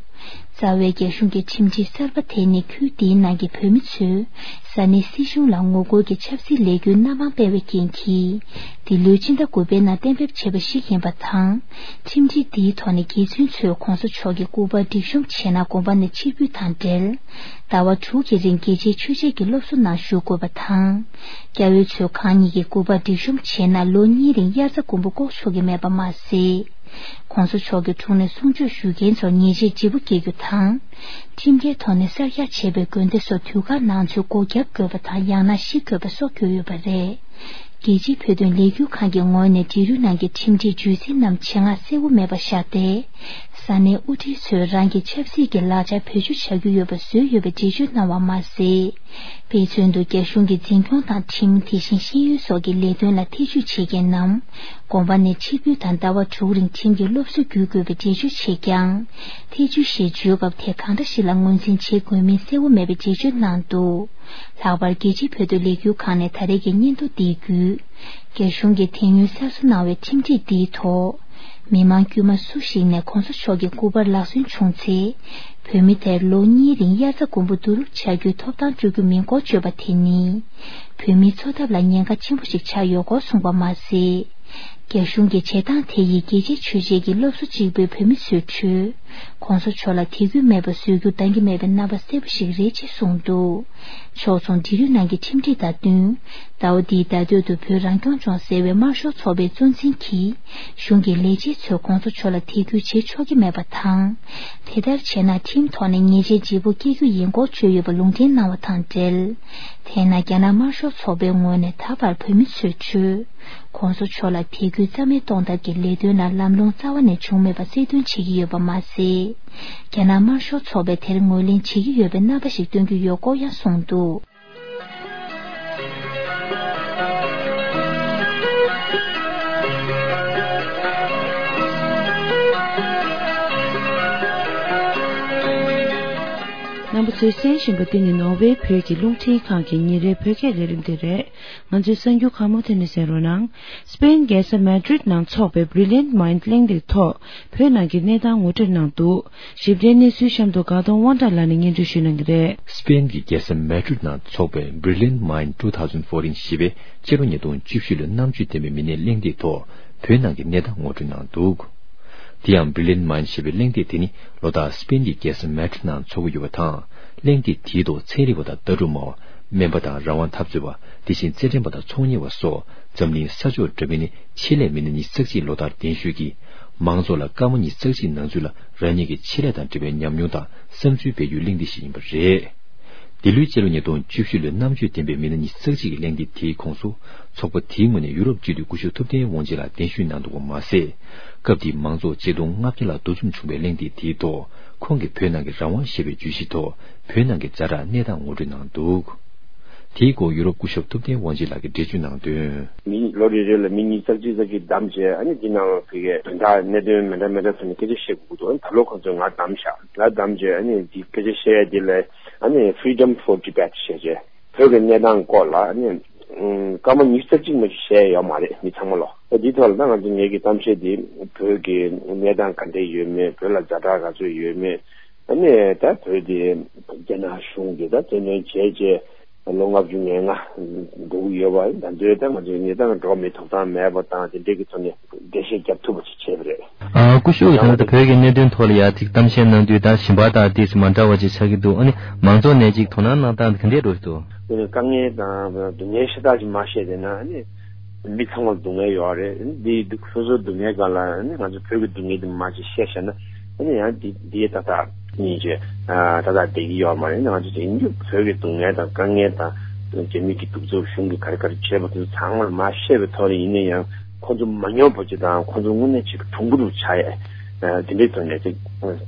རྩ་བའི་རྒྱ་གཞུང་གི་ཁྲིམས་སྒྲིག་གསར་པ་དེ་ནི་ཁུལ་འདིའི་ནང་གི་བོད་མི་ཚོས་ས་གནས་སྲིད་གཞུང་ལ་ངོ་རྒོལ་གྱི་ཆབ་སྲིད་ལས་འགུལ་སྣ་མང་སྤེལ་བའི་རྐྱེན་གྱིས། འདི་ལོའི་སྤྱི་ཟླ་དགུ་པའི་ནང་གཏན་འབེབས་བྱས་པ་ཞིག་ཡིན་པ་དང་། ཁྲིམས་སྒྲིག་འདིའི་ཐོག་ནས་རྒྱུ་མཚན་ཚོས་གོང་ས་མཆོག་གི་སྐུ་པར་སྒྲིག་གཤོམ་བྱས་ན་དགོན་པ་ནས་ཕྱིར་འབུད་དང་འབྲེལ། ཟླ་བ་དྲུག་གི་རིང་རྒྱལ་སྤྱིའི་ཆོས་བྱེད་ཀྱི་སློབ་གསོ་ནང་ཞུགས་དགོས་པ་དང་། སྐྱ་བོའི་ཚོས་གང་ཉིད་ཀྱི་སྐུ་པར་སྒྲིག་གཤོམ་བྱས་ན་ལོ་གཉིས་རིང་དབྱར་རྩྭ་དགུན་འབུ་བཀོག་ཆོག་གི་མེད་པ་མ་ཟད། གོང་ས་མཆོག་གི་དྲུང་ནས་གསུང་ཆོས་ཞུ་མཁན་ཚོར་ཉེས་ཆད་ལྗིད་པོ་འགེལ་རྒྱུ་དང་། ཁྲིམས་འགལ་ཐོག་ནས་གསར་རྒྱག་བྱས་པའི་དགོན་སྡེ་སོགས་དུས་བཀག་ནང་ཚུད་སྒོ་བརྒྱབ་དགོས་པ་དང་ཡང་ན་བཤིག་དགོས་པ་སོགས་གྱུར་ཡོད་པ་རེད། རྒྱལ་སྤྱིའི་བོད་དོན་ལས་འགུལ་ཁང་གི་ངོས་ནས་འབྲི་རུ་ནང་གི་ཁྲིམས་སྒྲིག་བརྗོད་ཚིག་རྣམས་ཆེད་མངགས་གསལ་བོ་མེད་པར་བཞག་སྟེ། ས་གནས་དབུ་ཁྲིད་ཚོས་རང་གི་ཆབ་སྲིད་ཀྱི་ལག་ཆ་བེད་སྤྱོད་བྱ་རྒྱུ་ཡོད་པ་བཟོས་ཡོད་པའི་འགྲེལ་བརྗོད་གནང་བ་མ་ཟད། དཔེ་མཚོན་དུ་རྒྱ་གཞུང་གི་འཛིན་སྐྱོང་དང་ཁྲིམས། དེ་བཞིན་ཤེས་ཡོན་སོགས་ཀྱི་ལས་དོན་ལ་ཐེ་བྱུས་བྱེད་མཁན་རྣམས་དགོན་པ་ནས་ཕྱིར་འབུད་དང་ཟླ་བ་དྲུག་རིང་ཁྲིམས་ཀྱི་སློབ་གསོ་བརྒྱུད་དགོས་པའི་འགྲེལ་བརྗོད་བྱས་ཀྱང་། ཐེ་བྱུས་ཞེས་བརྗོད་སྐབས་དེ་གང་འདྲ་ཞིག་ལ་ངོས་འཛིན་བྱེད་དགོས་མིན་གསལ་བོ་མེད་པའི་འགྲེལ་བརྗོད་གནང་འདུག། ལྷག་པར་རྒྱལ་སྤྱིའི་བོད་དོན་ལས་འགུལ་ཁང་ནས་ད་རེས་ཀྱི་སྙན་ཐོ་འདི་བརྒྱུད། རྒྱ་གཞུང་གིས་དེ་སྔོན་གསར་བཟོ་གནང་བའི་ཁྲིམས་སྒྲིག་འདིའི་ཐོག་མི་མང་དཀྱུས་མ་སུ་ཞིག་ནས་གོང་ས་མཆོག་གི་སྐུ་པར་ལག་སོན་བྱུང་ཚེ། བོད་མི་དེར་ལོ་གཉིས་རིང་དབྱར་རྩྭ་དགུན་འབུ་བསྡུ་རུབ་བྱ་རྒྱུའི་ཐོབ་ཐང་སྤྲོད་རྒྱུ་མིན་སྐོར་བརྗོད་པ་དེ་ནི། བོད་མིའི་འཚོ་ཐབས་ལ་ཉེན་ཁ་ཆེན་པོ་ཞིག་ཆགས་ཡོད་སྐོར་གསུངས་པ་མ་ཟད། རྒྱ་གཞུང་གི་བྱེད་སྟངས་དེ་ཡིས་རྒྱལ་སྤྱིའི་ཆོས་བྱེད་ཀྱི་སློབ་གསོ་གཅིག་པུའི་བོད་མི་ཚོའི་ཁྲོད། གོང་ས་མཆོག་ལ་དད་གུས་མེད་པ་བཟོ་རྒྱུ་འདང་གི་མེད་པའི་རྣམ་པ་གསལ་པོ་ཞིག་རེད་ཅེས་གསུངས་འདུག་ཕྱོགས་མཚུངས་འབྲེལ་ཡོད་ནང་གི་ཁྲིམས་སྒྲིག་དང་བསྟུན། ཟླ་བ་འདིའི་ཟླ་སྟོད་དུ་བོད་རང་སྐྱོང་ལྗོངས་ཟེར་བའི་དམར་ཤོག་ཚོགས་པའི་གཙོ་འཛིན་གྱིས། གཞུང་གི་ལས་བྱེད་ཚོས་གོང་ས་མཆོག་ལ་དད་གུས་བྱེད་ཆོག་གི་མེད་པ་དང་། དེ་ལྟར་བྱས་ན་ཁྲིམས་ཐོག་ནས་ཉེས་ཆད་ལྗིད་པོ་བཀལ་རྒྱུ་ཡིན་སྐོར་བརྗོད་ཡོད་པ་ལུང་འདྲེན་གནང་བ་དང་འབྲེལ། དེས་ན་རྒྱ་ནག་དམར་ཤོག་ཚོགས་པའི་ངོས་ནས་ད་བར་བོད་མི་ཚོས་ཆོས། གོང་ས་མཆོག་ལ་དད་གུས་རྩ་མེད་གཏོང་ཐབས་ཀྱི་ལས་དོན་ལ་ལམ་ལྷོང་རྩ་བ་ནས་བྱུང་མེད་པ་གསལ་སྟོན་བྱེད་ཀྱི་ཡོད་པ་མ་ཟད། རྒྱ་ནག་དམར་ཤོག་ཚོགས་པས་དེར་ངོས་ལེན་བྱེད་ཀྱི་ཡོད་པའི་རྣམ་པ་ཞིག་སྟོན་གྱི་ཡོད་སྐོར་ཡང་གསུངས་འདུག་རྣམ་པ་ཚོས་གསན་བཞིན་པ་འདི་ནི་ནོར་ཝེ་བོད་ཀྱི་རླུང་འཕྲིན་ཁང་གི་ཉིན་རེའི་བོད་སྐད་ལས་རིམ་དེ་རེད། ང་ཚོའི་གསར་འགྱུར་ཁག་མུ་མཐུད་ནས་གསན་རོགས་གནང་། སྤེན་རྒྱལ་ས་མེ་ཌྲིད་ནང་འཚོགས་པའི་Brilliant Mind གླེང་སྟེགས་ཐོག་བོད་ནང་གི་གནས་སྟངས་ངོ་སྤྲོད་གནང་འདུག་ཞིབ་ཕྲའི་གནས་ཚུལ་གཤམ་དུ་དགའ་གདོང་དབང་གྲགས་ལགས་ནས་སྙན་སྒྲོན་ཞུ་གནང་གི་རེད། སྤེན་གྱི་རྒྱལ་ས་མེ་ཌྲིད་ནང་འཚོགས་པའི་Brilliant Mind two thousand fourteen ཞེས་པའི་སྤྱི་ལོ་ཉིས་སྟོང་བཅུ་བཞི་ལོའི་རྣམ་དཔྱོད་ལྡན་པའི་མི་སྣའི་གླེང་སྟེགས་ཐོག་བོད་ནང་གི་གནས་སྟངས་ངོ་སྤྲོད་གནང་འདུག་དེ་ཡང་Brilliant Mind ཞེས་པའི་གླེང་སྟེགས་དེ་ནི་ལོ་ལྟར་སྤེན་གྱི་རྒྱལ་ས་མེ་ཌྲིད་ནང་འཚོགས་ཀྱི་ཡོད་པ་དང་། གླེང་སྟེགས་དེའི་ཐོག་ཚན་རིག་པ་དང་ལྟ་གྲུབ་སྨྲ་བ། སྨན་པ་དང་རང་དབང་འཐབ་རྩོད་པ། དེ་བཞིན་རྩེད་འགྲན་པ་དང་ཚོང་གཉེར་བ་སོགས་འཛམ་གླིང་ས་ཕྱོགས་འདྲ་མིན་ནས་ཆེད་ལས་མི་སྣ་ཉི་ཤུ་རྩ་གཅིག་ལོ་ལྟར་གདན་ཞུས་ཀྱིས། མང་ཚོགས་ལ་སྐར་མ་ཉི་ཤུ་རྩ་གཅིག་ནང་ཚུད་ལ་རང་ཉིད་ཀྱི་ཆེད་ལས་དང་འབྲེལ་བའི་ཉམས་མྱོང་དང་བསམ་ཚུལ་སྤེལ་རྒྱུའི་གླེང་སྟེགས་ཤིག་ཡིན་པ་རེད། འདི་ལོའི་སྤྱི་ལོ་ཉིས་སྟོང་བཅུ་བཞི་ལོའི་རྣམ་དཔྱོད་ལྡན་པའི་མི་སྣ་ཉི་ཤུ་རྩ་གཅིག་གི་གླེང་སྟེགས་དེའི་ཁོངས་སུ། ཚོགས་པ་དེའི་ངོས་ནས་ཡུ་རོབ་སྤྱི་འཐུས་སྐུ་ཞབས་ཐུབ་བསྟན་དབང་ཆེན་ལགས་གདན་ཞུས་གནང་འདུག་པ་མ་ཟད། སྐབས་དེའི་མང་ཚོགས་ཆིག་སྟོང་ལྔ་བརྒྱ་ལྷག་འདུ་འཛོམས་བྱུང་བའི་གླེང་སྟེགས་དེའི་ཐོག་ཁོང་གིས་བོད་ནང་གི་རང་དབང་ཞེས་པའི་བརྗོད་གཞིའི་ཐོག་བོད་ནང་གི་ཛ་དྲག་གནས་སྟངས་ངོ་སྤྲོད་གནང་འདུག་དེའི་སྐོར་ཡུ་རོབ་སྐུ་ཞབས་ཐུབ་བསྟན་དབང་ཆེན་ལགས་ཀྱིས་འགྲེལ་བརྗོད་གནང་དོན། མི་ལོ་རེ་རེ་ལ་མི་ཉིས་རྩ་གཅིག་རྩ་གཅིག་བདམས་བྱས། ཨ་ནི་འདི་ནང་ལ་ཕ་གིའི་དོན་དག་གནད་དོན་མི་འདྲ་མི་འདྲ་ཐོག་ནས་སྐད་ཆ་བཤད་དགོས་ཀྱི་འདུག་ཨ་ནི་ད་ལོ་ཁོང་ཚོས་ང་བདམས་བཞག་ང་བདམས་བྱས་ཨ་ནི་འདི་སྐད་ཆ་བཤད་ཡ་འདི་ལ་ཨ་ནི་Freedom for Debate ཞེས་བྱས། བོད་ཀྱི་གནས་སྟངས་སྐོར་ལ་ཨ་ནི་ཨུམ་སྐར་མ་ཉི་ཤུ་རྩ་གཅིག་མ་གཏོགས་བཤད་ཡ་ཡོད་མ་རེད། མི་ཚང་མ་ལོ། ཨ་འདིའི་ཐོག་ལ་ད་ང་ཚོ་ངེད་ཀྱི་གཏམ་བཤད་འདི་བོད་ཀྱི་གནས་སྟངས་ག་འདྲས་ཡོད་མེད། བོད་ལ་ཛ་དྲག་ག་ཚོད་ཡོད་མེད། ཨ་ནི་ད་བོད་དེ་རྒྱ་ནག་གཞུང་གིས་ད་བཙན་གནོན་བྱས་རྗེས་ལོ་ལྔ་བཅུ་ང་ལྔ་འགྲོ་གི་ཡོད་པ། ད་འདོད་ད་ང་ཚོའི་གནས་སྟངས་འགྲོ་མི་ཐོབ་ཐང་མེད་པ་དང་དེ་འདྲས་ཀྱི་ཐོག་ནས་འགྲེལ་བཤད་རྒྱབ་ཐུབ་པ་ཅིག་བྱས་པ་རེད། ཨ་སྐུ་ཞབས་ཀྱིས་ད་ལྟ་བོད་ཀྱི་གནད་དོན་ཐོག་ལ་ཡ་ཅིག་གཏམ་བཤད་གནང་དུས་ད་ཞིང་པ་དང་དེ་ཚོ་མ་འདྲ་བ་ཅིག་ཆགས་ཀྱི་འདུག་ཨ་ནི་མང་ཚོགས་ནས་ཅིག་དོ་སྣང་གནང་སྟངས་དེ་ག་འདྲས་འགྲོ་གི་འདུག་དཀའ་ངལ་དང་སྡུག་བསྔལ་ཤ་སྟག་ཅིག་མ་བཤད་བསྡད་ན་ཨ་ནི། མི་ཚང་མར་སྡུག་བསྔལ་ཡོད་རེད། འདི་སོ་སོའི་སྡུག་བསྔལ་སྒང་ལ་ནི་ང་ཚོ་བོད་ཀྱི་སྡུག་བསྔལ་འདི་མར་ཅིག་བཤད་བཞག་ན་ཨ་ནི་ཡང་འདི་འདི་ཏག་ཏག་ཉིད་ཀྱི་ཏག་ཏག་བསྡད་ཀྱི་ཡོད་མ་རེད། ང་ཚོ་དེང་དུས་བོད་ཀྱི་སྡུག་བསྔལ་དང་དཀའ་ངལ་དང་རྒྱ་མི་གི་གདུག་རྩུབ་གཞུང་གིས་ག་རེ་ག་རེ་བྱས་པ་དེ་ཚོ་ཚང་མ་མར་བཤད་པའི་ཐོག་ནས་ཡིན་ན་ཡང་ཁོང་ཚོ་མ་ཉོབ་པ་ཅིག་དང་ཁོང་ཚོ་དངོས་གནས་ཅིག་གྲུང་པོ་རུ་ཆགས་ཡས་དེ་འདྲའི་ཐོག་ནས་ཅིག་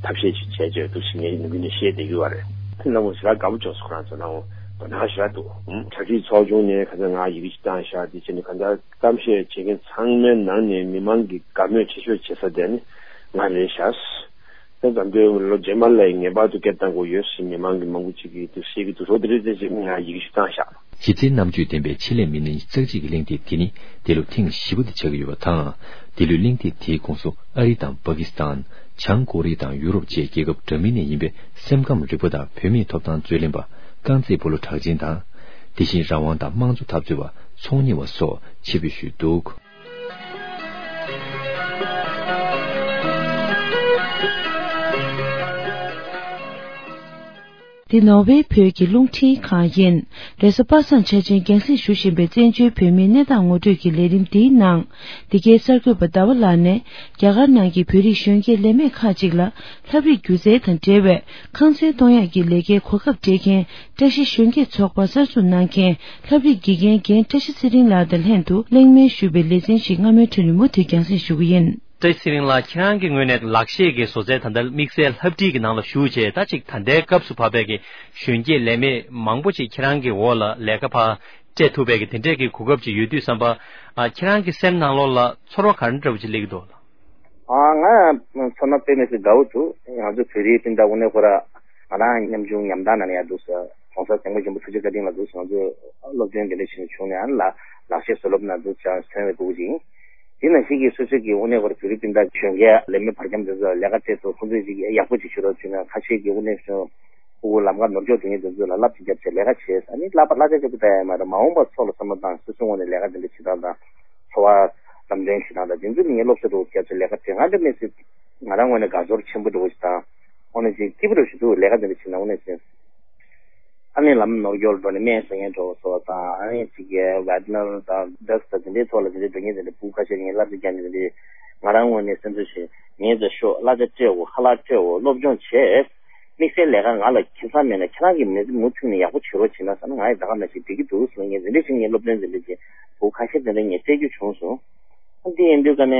ཐབས་ཤེས་ཅིག་བྱས་བྱས་འདུག་ཅེས་ངས་ནམ་རྒྱུན་ནས་བཤད་བསྡད་ཀྱི་ཡོད་རེད། ཁྱེད་རྣམ་པ་ཞེ་དྲག་དགའ་པོ་བྱུང་སོང་། ཁོ་རང་ཚོ་རྣམ་པ་དོ་སྣང་ཞེ་དྲག་འདུག་གྲ་སྒྲིག་ཚོགས་ཆུང་ནས་ཁ་སང་ང་ཡི་གེ་ཞིག་བཏང་བཞག་དེ་བྱས་ནས་གང་ལྟར། གཏམ་བཤད་བྱེད་མཁན་ཚང་མའི་ནང་ནས་མི་མང་གི་དགའ་མོས་ཆེ་ཤོས་བྱེད་ས་དེ་ནི་ང་རེད་ཤག་དེ་ཙམ་དུས་ལོ་རྗེས་མ་ལ་ངེས་པར་དུ་སྐད་བཏང་དགོས་ཡོད་ཞེས་མི་མང་གི་མང་པོ་ཅིག་གིས་དུ་བཤད་ཀྱི་འདུག་རོགས་དེ་རེད་དེ་ཅིག་ང་ཡི་གེ་ཞིག་བཏང་ཤག་གཞི་རྩའི་རྣམ་དཔྱོད་ལྡན་པའི་ཆེད་ལས་མི་སྣ་ཉི་ཤུ་རྩ་གཅིག་གི་གླེང་སྟེགས་དེ་ནི་འདི་ལོ་ཐེངས་བཞི་པ་དེ་ཆགས་ཀྱི་ཡོད་པ་དང་། འདི་ལོའི་གླེང་སྟེགས་དེའི་ཁོངས་སུ་ཨ་རི་དང་པ་ཀི་སི་ཐན། བྱང་ཀོ་རི་ཡ་དང་ཡུ་རོབ་བཅས་རྒྱལ་ཁབ་འདྲ་མིན་ནས་ཡིན་པའི་སེམས་ཁམས་རིག་པ་དང་བུད་མེད་ཐོབ་ཐང་རྩོད་ལེན་པ་རྐང་རྩེད་སྤོ་ལོ་གྲགས་ཅན་དང་། དེ་བཞིན་རང་དབང་དང་དམངས་གཙོ་འཐབ་རྩོད་པ། ཚོང་གཉེར་བ་སོགས་ཆེད་ཕེབས་ཞུས་འདུག་འདི་ནོར་ཝེ་བོད་ཀྱི་རླུང་འཕྲིན་ཁང་ཡིན། རེས་གཟའ་པ་སངས་འཆར་ཅན་རྒྱང་སྲིང་ཞུ་བཞིན་པའི་བཙན་བྱོལ་བོད་མིའི་གནས་སྟངས་ངོ་སྤྲོད་ཀྱི་ལས་རིམ་འདིའི་ནང་། འདི་གའི་གསར་འགོད་པ་ཟླ་བ་ལགས་ནས་རྒྱ་གར་ནང་གི་བོད་རིགས་གཞོན་སྐྱེས་ལས་མེད་ཁག་ཅིག་ལ་ལྷ་བྲིས་སྒྱུ་རྩལ་དང་འབྲེལ་བའི་ཁང་ཚན་གཏོང་ཡག་གི་ལས་ཀའི་གོ་སྐབས་སྤྲད་མཁན་བཀྲ་ཤིས་གཞོན་སྐྱེས་ཚོགས་པ་གསར་འཛུགས་གནང་མཁན་ལྷ་བྲིས་དགེ་རྒན་རྒན་བཀྲ་ཤིས་ཚེ་རིང་ལགས་དང་ལྷན་དུ་གླེང་མོལ་ཞུས་པའི་ལེ་ཚན་ཞིག་སྔ་མོའི་ཁྲོད་ནས་མུ་མཐུད་རྒྱང་སྲིང་ཞུ་གི་ཡིན། བཀྲ་ཤིས་ཚེ་རིང་ལགས། ཁྱེད་རང་གི་ངོས་ནས་ལག་ཤེས་ཀྱི་བཟོ་རྩལ་ད་ལྟ་དམིགས་བསལ་ལྷ་བྲིས་ཀྱི་ནང་ལ་ཞུགས་བྱས། ད་ཅིག་ད་ལྟའི་སྐབས་སུ་བབས་པའི་གི་གཞོན་སྐྱེས་ལས་མེད་མང་པོ་ཅིག་ཁྱེད་རང་གི་འོག་ལ་ལས་ཀ་ཕར་སྤྲད་ཐུབ་པའི་གི་དེ་འདྲས་ཀྱི་གོ་སྐབས་ཅིག་ཡོད་དུས་ཙམ་པ། ཨ། ཁྱེད་རང་གི་སེམས་ནང་ལོགས་ལ་ཚོར་བ་ག་འདྲ་འདྲ་བོ་ཅིག་སླེབས་ཀྱི་འདུག་ལགས། ཨ། ང་ཚོར་སྣང་དཔེ་མི་སྲིད་དགའ་བོ་འདུག་ང་ཚོ་བོད་རིགས་སྤུན་ཟླ་དངོས་གནས་ཁོ་ར་ང་རང་ཉམ་ཆུང་ཉམ་ཐག་ནང་ནས་ཡར་འདུག་ཟེར། ༸གོང་ས་༸སྐྱབས་མགོན་ཆེན་པོ་ཐུགས་རྗེ་བཀའ་དྲིན་ལ་འདུག་ཟེར། ང་ཚོ་སློབ་སྟོན་དེ་འདྲ་བྱས་ནས་བྱུང་ནས་ཨ་ནི་ལག་ལག་ཤེས་བཟོ་སློབ་ནང་འདུག་ཟེར་ཐོན་པའི་སྤུ་གུ་ཅིག་ཡིན། དེ་ནང་བཞིན་གྱི་སོ་སོའི་གི་དངོས་གནས་ཁོ་ར་བོད་རིགས་སྤུན་ཟླ་གཞོན་སྐྱེས་ལས་མེད་བར་ཁྱམས་དེ་ཚོ་ལས་ཀ་སྤྲད་ཐུབ། ཁོང་ཚོས་ཅིག་ཡག་པོ་ཅིག་བྱེད་རོགས་བྱས་ན། ཁ་ཤས་ཀྱི་དངོས་གནས་བྱུང་སྤུ་གུ་ལམ་ཁ་ནོར་འཁྱོག་དེ་ངས་དེ་ཚོ་ལ་བསླབ་བྱེད་རྒྱབ་བྱས་ལས་ཀ་བྱས། ཨ་ནི་བསླབ་པ་བསླབ་བྱ་ཅིག་པུ་ལྟ་ཡ་མ་རེད། མ་འོངས་པ་སོགས་ལ་བསམ་བློ་བཏང་སོ་སོའི་ངོས་ནས་ལས་ཀ་དེ་འདྲ་བྱེད་སྟངས་དང་འཚོ་བ་ལམ་སྟོན་བྱེད་སྟངས་དང་དེ་ཚོ་ནི་ངས་སློབ་གསོ་རུ་རྒྱབ་བྱས་ལས་ཀ་དེ་ང་འདྲ་མེད་སྲིད། ང་རང་ངོས་ནས་དགའ་ཚོར་ཆེན་པོ་འདྲ་བོ་ཞིག་དང་། དངོས་གནས་ཅིག་སྐྱིད་པོ་འདྲ་བོ་ཞིག་འདུག་ལས་ཀ་འདི་འདྲ་བྱེད་ན་དངོས་གནས་ཅིག་ཨ་ནི་ལམ་ནོར་སྐྱོར་འགྲོ་ནས་སྨན་ཟ་མཁན་འདྲ་བོ་སོགས་དང་། ཨ་ནི་ཅིག་གི་ཝེ་ཊི་ནར་དང་ཌོག་ཊར་དང་དེ་འདྲའི་ཐོག་ལ་དེ་འདྲའི་འགྲོ་མཁན་དེ་འདྲ་སྤུ་གུ་ཁ་ཤས་ངས་བསླབ་བྱ་རྒྱག་ནས་དེ་འདྲའི། ང་རང་ངོས་ནས་སེམས་ཚོར་ཞིག་ངས་ད་ཤོག་གླ་ཆ་སྤྲད་འོ་ཁ་ལག་སྤྲད་འོ་སློབ་སྦྱོང་བྱས། དམིགས་བསལ་ལས་ཀ་ང་ལ་ཁེ་བཟང་མེད་ན་ཁྱེད་རང་གིས་མི་མུ་མཐུད་ནས་ཡག་པོ་བྱེད་རོགས་བྱེད་ན་བསམ་ན། ང་ཡི་ད་ག་ནང་བཞིན་འགྲིག་གི་འདུག་ཟེར་ནས་ངས་འདི་འདྲ་ཞིག་ངས་སློབ་སྟོན་འདི་འདྲ་བྱས། སྤུ་གུ་ཁ་ཤས་དེ་འདྲ་ངས་སྤྲད་རྒྱུ་བྱུང་སོང་། འདི་ཡིན་དུས་ཀ་ནས་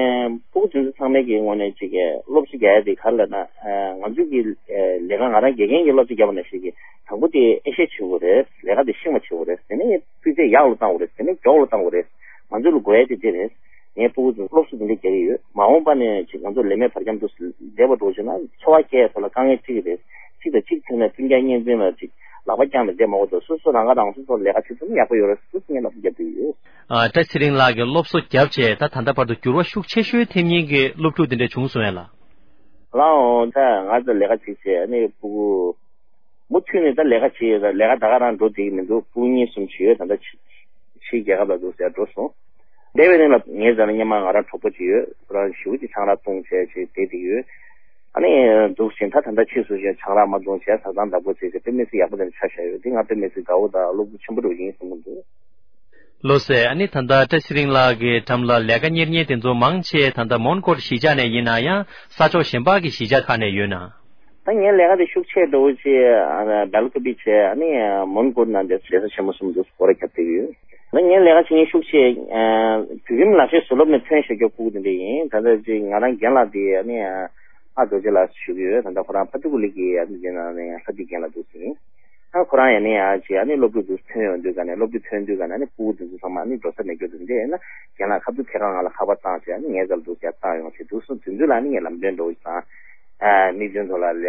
སྤུ་གུ་དེ་ཚོ་ཚང་མའི་གི་ངོས་ནས་ཅིག་གི་སློབ་གསོ་རྒྱག་ཡ་དེ་ག་རེ་ལབ་ན། ཨ། ང་ཚོས་ཀྱི་ཨ་ལས་ཀ་ང་རང་དགེ་རྒན་གྱི་སློབ་གསོ་རྒྱབ་པ་ནང་བཞིན་གྱི་དང་པོ་དེ་ཨེ་ཤེས་བྱེད་དགོས་རེད། ལས་ཀ་དེ་ཤེས་པ་བྱེད་དགོས་རེད། དེ་ནས་སྤུས་ཚད་ཡག་ལ་བཏང་དགོས་རེད། དེ་ནས་མགྱོགས་ལ་བཏང་དགོས་རེད། ང་ཚོ་ལ་དགོས་ཡ་དེ་དེ་རེད། ངའི་སྤུ་གུ་ཚོ་སློབ་གསོ་དེ་འདྲ་རྒྱག་གི་ཡོད། མ་འོངས་པ་ནས་ཅིག་ང་ཚོ་ལས་མེད་བར་ཁྱམས་དུ་བསྡད་པ་འགྲོ་བྱུང་ན་འཚོ་བ་སྐྱེལ་ཡ་ཐོག་ལ་དཀའ་ངལ་འཕྲད་ཀྱི་རེད། གཅིག་དང་གཅིག་མཐུན་ནས་སྤུན་ཀྱག་གཉེན་ཚན་ལ་ཅིག་ལག་པ་བརྐྱངས་ནས་བསྡད་མ་དགོས་དོ། སོ་སོ་རང་ཁ་རང་གསོ་ཐོག་ལས་ཀ་བྱེད་ཐུབ་ན་ཡག་པོ་ཡོད་རེད་ཟེར་ངས་ལབ་རྒྱབ་ཀྱི་ཡོད། ཨ། བཀྲ་ཚེ་རིང་ལགས་ཀྱིས་སློབ་གསོ་བརྒྱབ་བྱས་ད་ད་ལྟ་བར་དུ་འགྱུར་བ་ཤུགས་ཆེ་ཤོས་ཐེབས་མཁན་གྱི་སློབ་ཕྲུག་དེ་འདྲ་བྱུང་སོང་ངས་ལགས། ལའོ། ད་ང་ཚོ་ལས་ཀ་བྱེད་བྱས་ཨ་ནི་སྤུ་གུ་མུ་མཐུད་ནས་ད་ལས་ཀ་བྱེད་ཡོད། ད་ལས་ཀ་ད་ག་རང་འགྲོ་བསྡད་ཀྱི་མི་འདུག་སྤུ་གུ་གཉིས་གསུམ་བྱེད་ཡོད། ད་ལྟ་ཕྱི་ཕྱིའི་རྒྱལ་ཁབ་ལ་འདུག་ཟེར་འགྲོ་སོང་། འདས་པའི་རིང་ལ་ངའི་རྩ་ནས་སྔོན་མ་ང་རང་གྲོགས་པོ་ཅིག་ཡོད། ཁོ་རང་ཞེ་པོ་ཅིག་ཆང་རག་བཏུང་བྱས་ཅིག་བསྡད་བསྡད་ཡོད། ཨ་ནི་འདུག་ཟིན་ད་ད་ལྟ་ཕྱིས་སུ་ཞིག་ཆང་རག་མ་བཏུང་བྱས་བཟའ་ཚང་བདག་པོ་བྱས་ཅིག་དཔེ་མི་སྲིད་ཡག་པོ་དེ་འདྲ་ཆགས་བཞག་ཡོད། དེ་ང་དཔེ་མི་སྲིད་དགའ་བོ་དང་བློ་འགྱོད་ཆེན་པོ་འདྲ་བོ་ཡིན་གསུང་གི་འདུག་ལགས་སོ། ཨ་ནི་ད་ལྟ་བཀྲ་ཚེ་རིང་ལགས་ཀྱི་འགྲམ་ལ་ལས་ཀ་གཉེར་མཁན་དེ་ཚོ་མང་ཆེ་ད་ལྟ་མོན་གྷོ་གཞིས་ཆགས་ནས་ཡིན་ན་ཡང་ས་ཕྱོགས་གཞན་པ་གི་གཞིས་ཆགས་ཁག་ནས་ཡོད་ན། ད་ངའི་ལས་ཀ་དེ་ཤུགས་ཆེ་འགྲོ་བོ་ཆེ་སྦེལ་ཀོབ་བྱས་ཨ་ནི་མོན་གྷོ་ནང་དེ་ལས་ས་ཆེན་མོ་གསུམ་དུ་སྐོར་ར་བརྒྱབ་བསྡད་ཡོད། ད་ངའི་ལས་ཀ་བྱེད་མཁན་ཤུགས་ཆེ་བོད་ཁྱིམ་ལག་ཤེས་ཟུར་སློབ་ནས་ཐོན་བཞག་རྒྱུ་སྤུ་གུ་དེ་འདྲ་ཡིན། ད་ལྟ་ཅིག་ང་རང་རྒན་ལགས་དེ་ཨ་ནི་ཨ་རྡོ་རྗེ་ལགས་ཞུ་གི་ཡོད། ད་ལྟ་ཁོ་རང་ཕ་ཏུ་གུ་ལི་གི་ཨ་ནི་དེ་ནང་ནས་ལྷ་བདེ་རྒན་ལགས་འདུག་ཟིན། ཨ་ཁོ་རང་ཡང་ནི་ཡང་ཅིག་ཨ་ནི་སློབ་ཕྲུག་དེ་ཐོན་ཡོང་དུས་ག་ནས་སློབ་ཕྲུག་ཐོན་དུས་ག་ནས་ཨ་ནི་སྤུ་གུ་དེ་ཚོ་ཚང་མ་ཨ་ནི་འགྲོ་ས་མེད་རྒྱུ་དེ་འདྲ་ཡིན་ན་རྒན་ལགས་ཁ་ཐུག་ཁྱེད་རང་ང་ལ་ཁ་པར་བཏང་བྱས་ཨ་ནི་ངའི་རྩར་འདུག་ཡར་བཏང་ཡོང་བྱས་འདུག་སོང་། དེ་ཚོ་ལ་ཨ་ནི་ངས་ལམ་སྟོན་འདྲ་བོ་ཞིག་དང་། ཨ་མིག་སྟོན་ཐོག་ལ་ལས་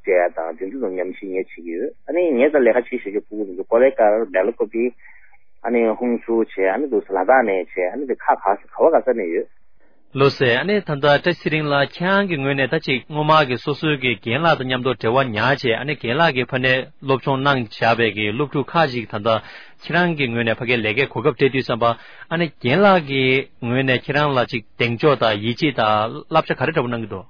ཀ་བྱེད་ཡ་དང་དེ་ཚོ་ཚོ་ཉམས་ཞིབ་ངས་བྱེད་ཀྱི་ཡོད། ཨ་ནི་ངའི་རྩར་ལས་ཀ་བྱེད་བཞིན་པའི་སྤུ་གུ་དེ་ཚོ་ཀོ་ལེ་ཀར་སྦེལ་ཀོབ་ཨ་ནི་ཧུང་སུར་བྱས་ཨ་ནི་འདུག་སེ་ལ་དྭགས་ནས་བྱས་ཨ་ནི་དེ་ཁ་ག་ས་ག་བ་ག་ས་ནས་ཡོད། ལགས་སོ། ཨ་ནི་ད་ལྟ་བཀྲ་ཚེ་རིང་ལགས་ཁྱེད་རང་གི་ངོས་ནས་ད་ཅིག་སྔོན་མ་གི་སོ་སོའི་གི་རྒན་ལགས་དང་མཉམ་དུ་འབྲེལ་བ་ཉར་བྱས་ཨ་ནི་རྒན་ལགས་ཀྱི་ཕ་ནས་སློབ་སྦྱོང་གནང་བཞག་པའི་གི་སློབ་ཕྲུག་ཁག་ཅིག་ད་ལྟ་ཁྱེད་རང་གི་ངོས་ནས་ཕ་གིར་ལས་ཀའི་གོ་སྐབས་སྤྲད་དུས་ཙམ་པ་ཨ་ནི་རྒན་ལགས་ཀྱི་ངོས་ནས་ཁྱེད་རང་ལ་ཅིག་གདེང་འཇོག་དང་ཡིད་ཆེས་དང་བསླབ་བྱ་ག་རེ་འདྲ་པོ་གནང་གི་འདུག་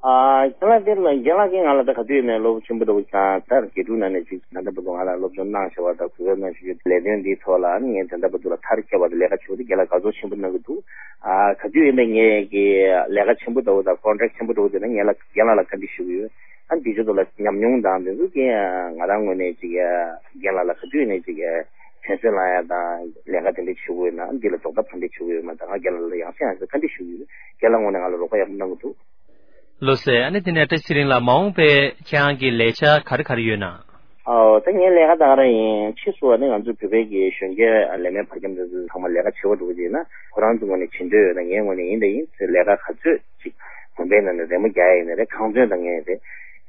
ཨ་རྒན་ལགས་དེ་ལ་རྒན་ལགས་ཀྱིས་ང་ལ་ད་ག་དུས་ཡིན་ནའི་བློ་ཆེན་པོ་འདྲ་བོ་ཞིག་དང་ད་དགེ་ཕྲུག་ནང་ནས་ཅིག་ད་ལྟ་བར་དུ་ང་ལ་སློབ་སྦྱོང་གནང་བྱ་བ་དང་གོ་སྐབས་གནང་བྱ་རྒྱུ་ལས་དོན་འདིའི་ཐོག་ལ་ཨ་ནི་ངས་ད་ལྟ་བར་དུ་ལ་མཐར་སྐྱེལ་བ་དང་ལས་ཀ་བྱེད་པ་དེ་ལས་ཀ་དགའ་ཚོར་ཆེན་པོ་གནང་གི་འདུག་ཨ་ག་དུས་ཡིན་ནའི་ངས་ཀྱི་ལས་ཀ་ཆེན་པོ་འདྲ་བོ་དང་ཀོན་ཊེག་ཆེན་པོ་འདྲ་བོ་དེ་ན་ངས་ལ་རྒན་ལགས་ལ་བཀའ་འདྲི་ཞུ་གི་ཡོད། ཨ་ནི་འདི་ཚོ་ཐོག་ལ་ཉམས་མྱོང་དང་འདི་ཚོ་གི་ང་རང་ངོས་ནས་ཅིག་རྒན་ལགས་ལ་ག་དུས་ཡིན་ནའི་ཅིག་དྲན་གསོ་གནང་ཡ་དང་ལས་ཀ་དེ་འདྲ་བྱེད་དགོས་ཡོད་ན་ཨ་ནི་འདི་ལ་རྫོགས་མཐའ་ག་འདྲ་བྱེད་དགོས་ཡོད་མ་ད་ང་རྒན་ལགས་ལ་ཡང་སེ་ཡང་སེ་བཀའ་འདྲི་ཞུ་གི་ཡོད། རྒན་ལགས་ངོས་ནས་ང་ལ་རོགས་པ་ཡག་པོ་གནང་གི་འདུག་ལགས་སོ། ཨ་ནི་དེ་ནས་བཀྲ་ཤིས་ཚེ་རིང་ལགས་མ་འོངས་པའི་ཁྱེད་རང་གི་ལས་འཆར་ག་རེ་ག་རེ་ཡོད་ན། ཨོ་ད་ངའི་ལས་ཀ་ད་ག་རང་ཡིན། ཕྱིས་སུ་ཨ་ནི་ང་ཚོ་བོད་པའི་གི་གཞོན་སྐྱེས་ལས་མེད་བར་ཁྱམས་དེ་ཚོ་ཚང་མ་ལས་ཀ་བྱེད་པ་འགྲོ་གི་ཡིན་ན་ཁོ་རང་ཚོ་ངོས་ནས་བྱེད་འདོད་ཡོད་ན་ངའི་ངོས་ནས་ཡིན་ད་ཡིན་ཚེ་ལས་ཀ་ག་ཚོད་ཅིག་དགོན་པའི་ནང་ནས་རེ་མོ་རྒྱག་ཡ་ཡིན་ན་རེད། ཁང་ཚན་དང་ངས་རེད་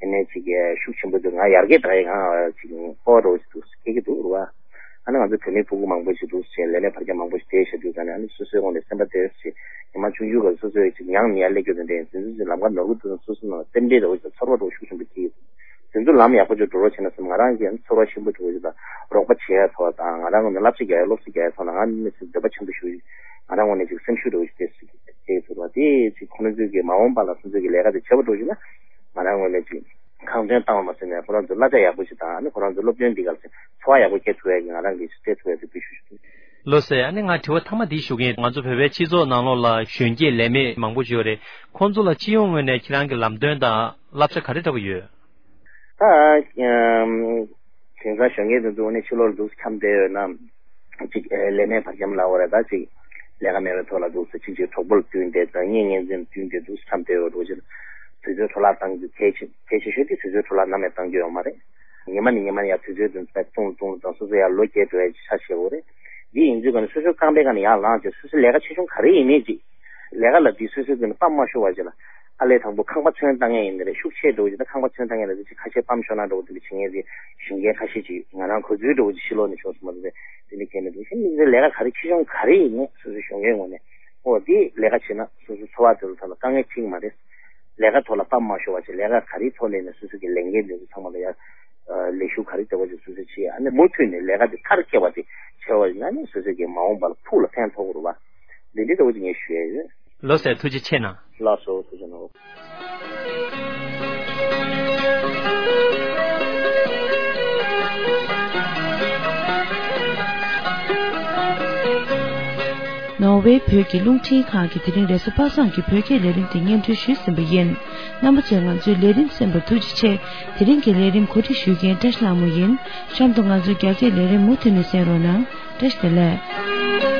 ཡིན་ནའི་ཅིག་ཤུགས་ཆེན་པོ་འདུག་ང་ཡར་རྒྱས་གཏང་ཡ་གང་ཅིག་སྤོབས་པ་འདྲ་བོ་ཞིག་འདུག་སྐྱེ་གི་འདུག་རེད་བ། ཨ་ནི་ང་ཚོ་བོད་མི་ཕྲུ་གུ་མང་པོ་ཞིག་འདུག་ཟེར་ལས་མེད་བར་ཁྱམས་མང་པོ་ཞིག་བསྡད་བཞག་དུས་ཙང་ནས་ཨ་ནི་སོ་སོའི་ངོས་ནས་སེམས་པ་དེ་ཞིག་ཉི་མ་ཆུང་ཆུང་སྐབས་སོ་སོའི་ཅིག་མྱངས་ནས་ཡར་སླེབས་རྒྱུ་དེ་འདྲའི་འཛིན་འཛིན་ལམ་ཁ་ནོར་གི་འདུག་ན་སོ་སོ་ནང་སེམས་ཁྲལ་འདྲ་བོ་ཞིག་དང་ཚོར་བ་འདྲ་བོ་ཤུགས་ཆེན་པོ་སྐྱེ་ཡོད། དེ་ཚོ་ལམ་ཡག་པོ་ཅིག་འགྲོ་རོགས་བྱས་ན་བསམ་ང་རང་གིས་ཨ་ནི་ཚོར་བ་ཆེན་པོ་འདྲ་བོ་ཞིག་དང་རོགས་པ་བྱེད་ཡ་ཐོག་དང་ང་རང་ངོས་ནས་བསླབ་བྱ་རྒྱག་ཡ་སློབ་གསོ་རྒྱག་ཡ་ཐོག་ལ་ང་ནི་སེམས་འདོད་པ་ཆེན་པོ་ཞིག་ང་རང་ངོས་ནས་ཅིག་སེམས་ཤུགས་འདྲ་བོ་ཞིག་སྐྱེ་སྲིད་ཀྱི་དེ་ཚོ་བ་དེ་ཅིག་ཁོ་རང་ཚོའི་གི་མ་འོངས་པ་ལ་སོ་སོའི་གི་ལས་ཀ་དེ་བྱེད་པ་འགྲོ་བཞིན་ན་ང་རང་ངོས་ནས་ཅིག་ཁང་ཚན་བཏང་བ་མ་ཟད་ནས་ཁོ་རང་ཚོ་གླ་ཆ་ཡག་པོ་ཞིག་དང་ཨ་ནི་ཁོ་རང་ཚོ་སློབ་སྟོན་འདི་ག་ལ་འཚོ་བ་ཡག་པོ་སྐྱེལ་ཐུབ་ཡ་གི་ང་རང་གིས་སྤྲད་ཐུབ་ཡ་དེ་འབུལ་ཞུ་ཞུ། ལགས་སོ། ཨ་ནི་ང་དྲི་བ་མཐའ་མ་འདི་ཞུ་གི་ཡིན། ང་ཚོ་བོད་པའི་སྤྱི་ཚོགས་ནང་ལོགས་ལ་གཞོན་སྐྱེས་ལས་མེད་མང་པོ་ཞིག་ཡོད་རེད། ཁོང་ཚོ་ལ་སྤྱི་ཡོངས་ངོས་ནས་ཁྱེད་རང་གི་ལམ་སྟོན་དང་བསླབ་བྱ་ག་རེ་འདྲ་པོ་ཡོད། ད་ཨམ་དེང་སང་གཞོན་སྐྱེས་དེ་ཚོ་ནི་ཕྱི་ལོགས་འདུག་འཁྱམས་བསྡད་ཡོད་ན། ཅིག་ཨེ་ལས་མེད་བར་འཁྱམས་ལབ་དགོས་རེད། ད་ཅིག་ལས་ཀ་མེད་པའི་ཐོག་ལ་འདུག་སེ་ཅིག་ཅིག་གྲོགས་པོ་ལ་བསྟུན་ཏེ་ད་གཉེན་ཉེ་ཚན་ལ་བསྟུན་ཏེ་འདུག་སེ་འཁྱམས་བསྡད་ཡོད་འགྲོ་ཅིག་དུས་ཚོད་འཕྲོ་བརླག་བཏང་རྒྱུ་གལ་ཆེ་གལ་ཆེ་ཤོས་དེ་དུས་ཚོད་འཕྲོ་བརླག་ནམ་ཡང་བཏང་རྒྱུ་ཡོད་མ་རེད། ཉི་མ་ནས་ཉི་མ་ནས་ཡར་དུས་ཚོད་དེ་ཚོ་ལྟུང་ལྟུང་དང་སོ་སོ་ཡར་ལོ་བརྒྱད་འགྲོ་ཡ་ཆ་བཞག་དགོས་རེད། འདི་ཡིན་དུས་ག་ནས་སོ་སོའི་རྐང་པའི་སྒང་ནས་ཡར་ལངས་བྱས་སོ་སོའི་ལས་ཀ་ཆེ་ཆུང་ག་རེ་ཡིན་ནའི་ཅིག་ལས་ཀ་ལ་འདི་སོ་སོའི་སྒང་ནས་དཔའ་མ་ཤོར་བ་ཅིག་ལ། ཨ་ལས་དང་པོ་ཁང་པ་ཚོན་བཏང་ཡས་ཡིན་ནི་རེད། ཤུགས་ཆེ་འགྲོ་བ་ཅིག་ད་ཁང་པ་ཚོན་བཏང་ཡས་ལ་དེ་ཅིག་ཁ་ཤས་སྤམ་ཤོར་ན་འགྲོ་བ་དེ་འདྲ་བྱེད་མཁན་དེ་གཞོན་སྐྱེས་ཁ་ཤས་ཅིག་ང་རང་གོ་ཚུལ་འགྲོ་བ་ཅིག་ཕྱི་ལོགས་ནས་བྱུང་སོང་མ་གཏོགས་དེ་འདྲ་གལ་མི་འདུག་གཞན་མི་ཚོའི་ལས་ཀ་ག་རེ་ཆེ་ཆུང་ག་རེ་ཡིན་ནའི་སོ་སོའི་གཞོན་སྐྱེས་ངོས་ནས་ཨོ་དེ་ལས་ཀ་བྱེད་ན་སོ་སོའི་འཚོ་བ་དེ་ལ་ཐོག་ལ་དཀའ་ངལ་འཕྲད་ཀྱི་མ་རེད། ལས་ཀ་ཐོག་ལ་སྤམ་མ་ཤོར་བ་ཅིག་ལས་ཀ་ག་རེའི་ཐོག་ནས་ནས་སོ་སོ་གི་ལས་འགན་དེ་ཚོ་ཚང་མ་ལ་ཡ། ལས་ཞུགས་ག་རེ་བྱ་བ་ཅིག་སོ་སོས་བྱེད་ཨ་ནི་མུ་མཐུད་ནས་ལས་ཀ་དེ་མཐར་སྐྱེལ་བ་དེ་བྱས་པ་ཡིན་ན་ནི་སོ་སོ་གི་མ་འོངས་པ་ལ་ཕུགས་ལ་ཕན་ཐོགས་ཀྱི་རེད་བ། འདི་འདྲའི་ལྟ་བུ་ཅིག་ངས་ཞུ་ཡ་ཡོད། ལགས་སོ། ཐུགས་རྗེ་ཆེ་གནང་། ལགས་སོ། ཐུགས་རྗེ་གནང་། ནོར་ཝེ་བོད་ཀྱི་རླུང་འཕྲིན་ཁང་གིས་དེ་རིང་རེས་གཟའ་པ་སངས་ཀྱི་བོད་སྐད་ལས་རིམ་དེ་སྙན་སྒྲོན་ཞུས་ཟིན་པ་ཡིན། རྣམ་པ་ཚོས་ང་ཚོའི་ལས་རིམ་གསན་པར་ཐུགས་རྗེ་ཆེ། དེ་རིང་གི་ལས་རིམ་གོ་སྒྲིག་ཞུ་མཁན་བཀྲ་ཤིས་ལྷ་མོ་ཡིན། གཤམ་དུ་ང་ཚོའི་རྒྱ་སྐད་ལས་རིམ་མུ་མཐུད་ནས་གསན་རོགས་གནང་། བཀྲ་ཤིས་བདེ་ལེགས།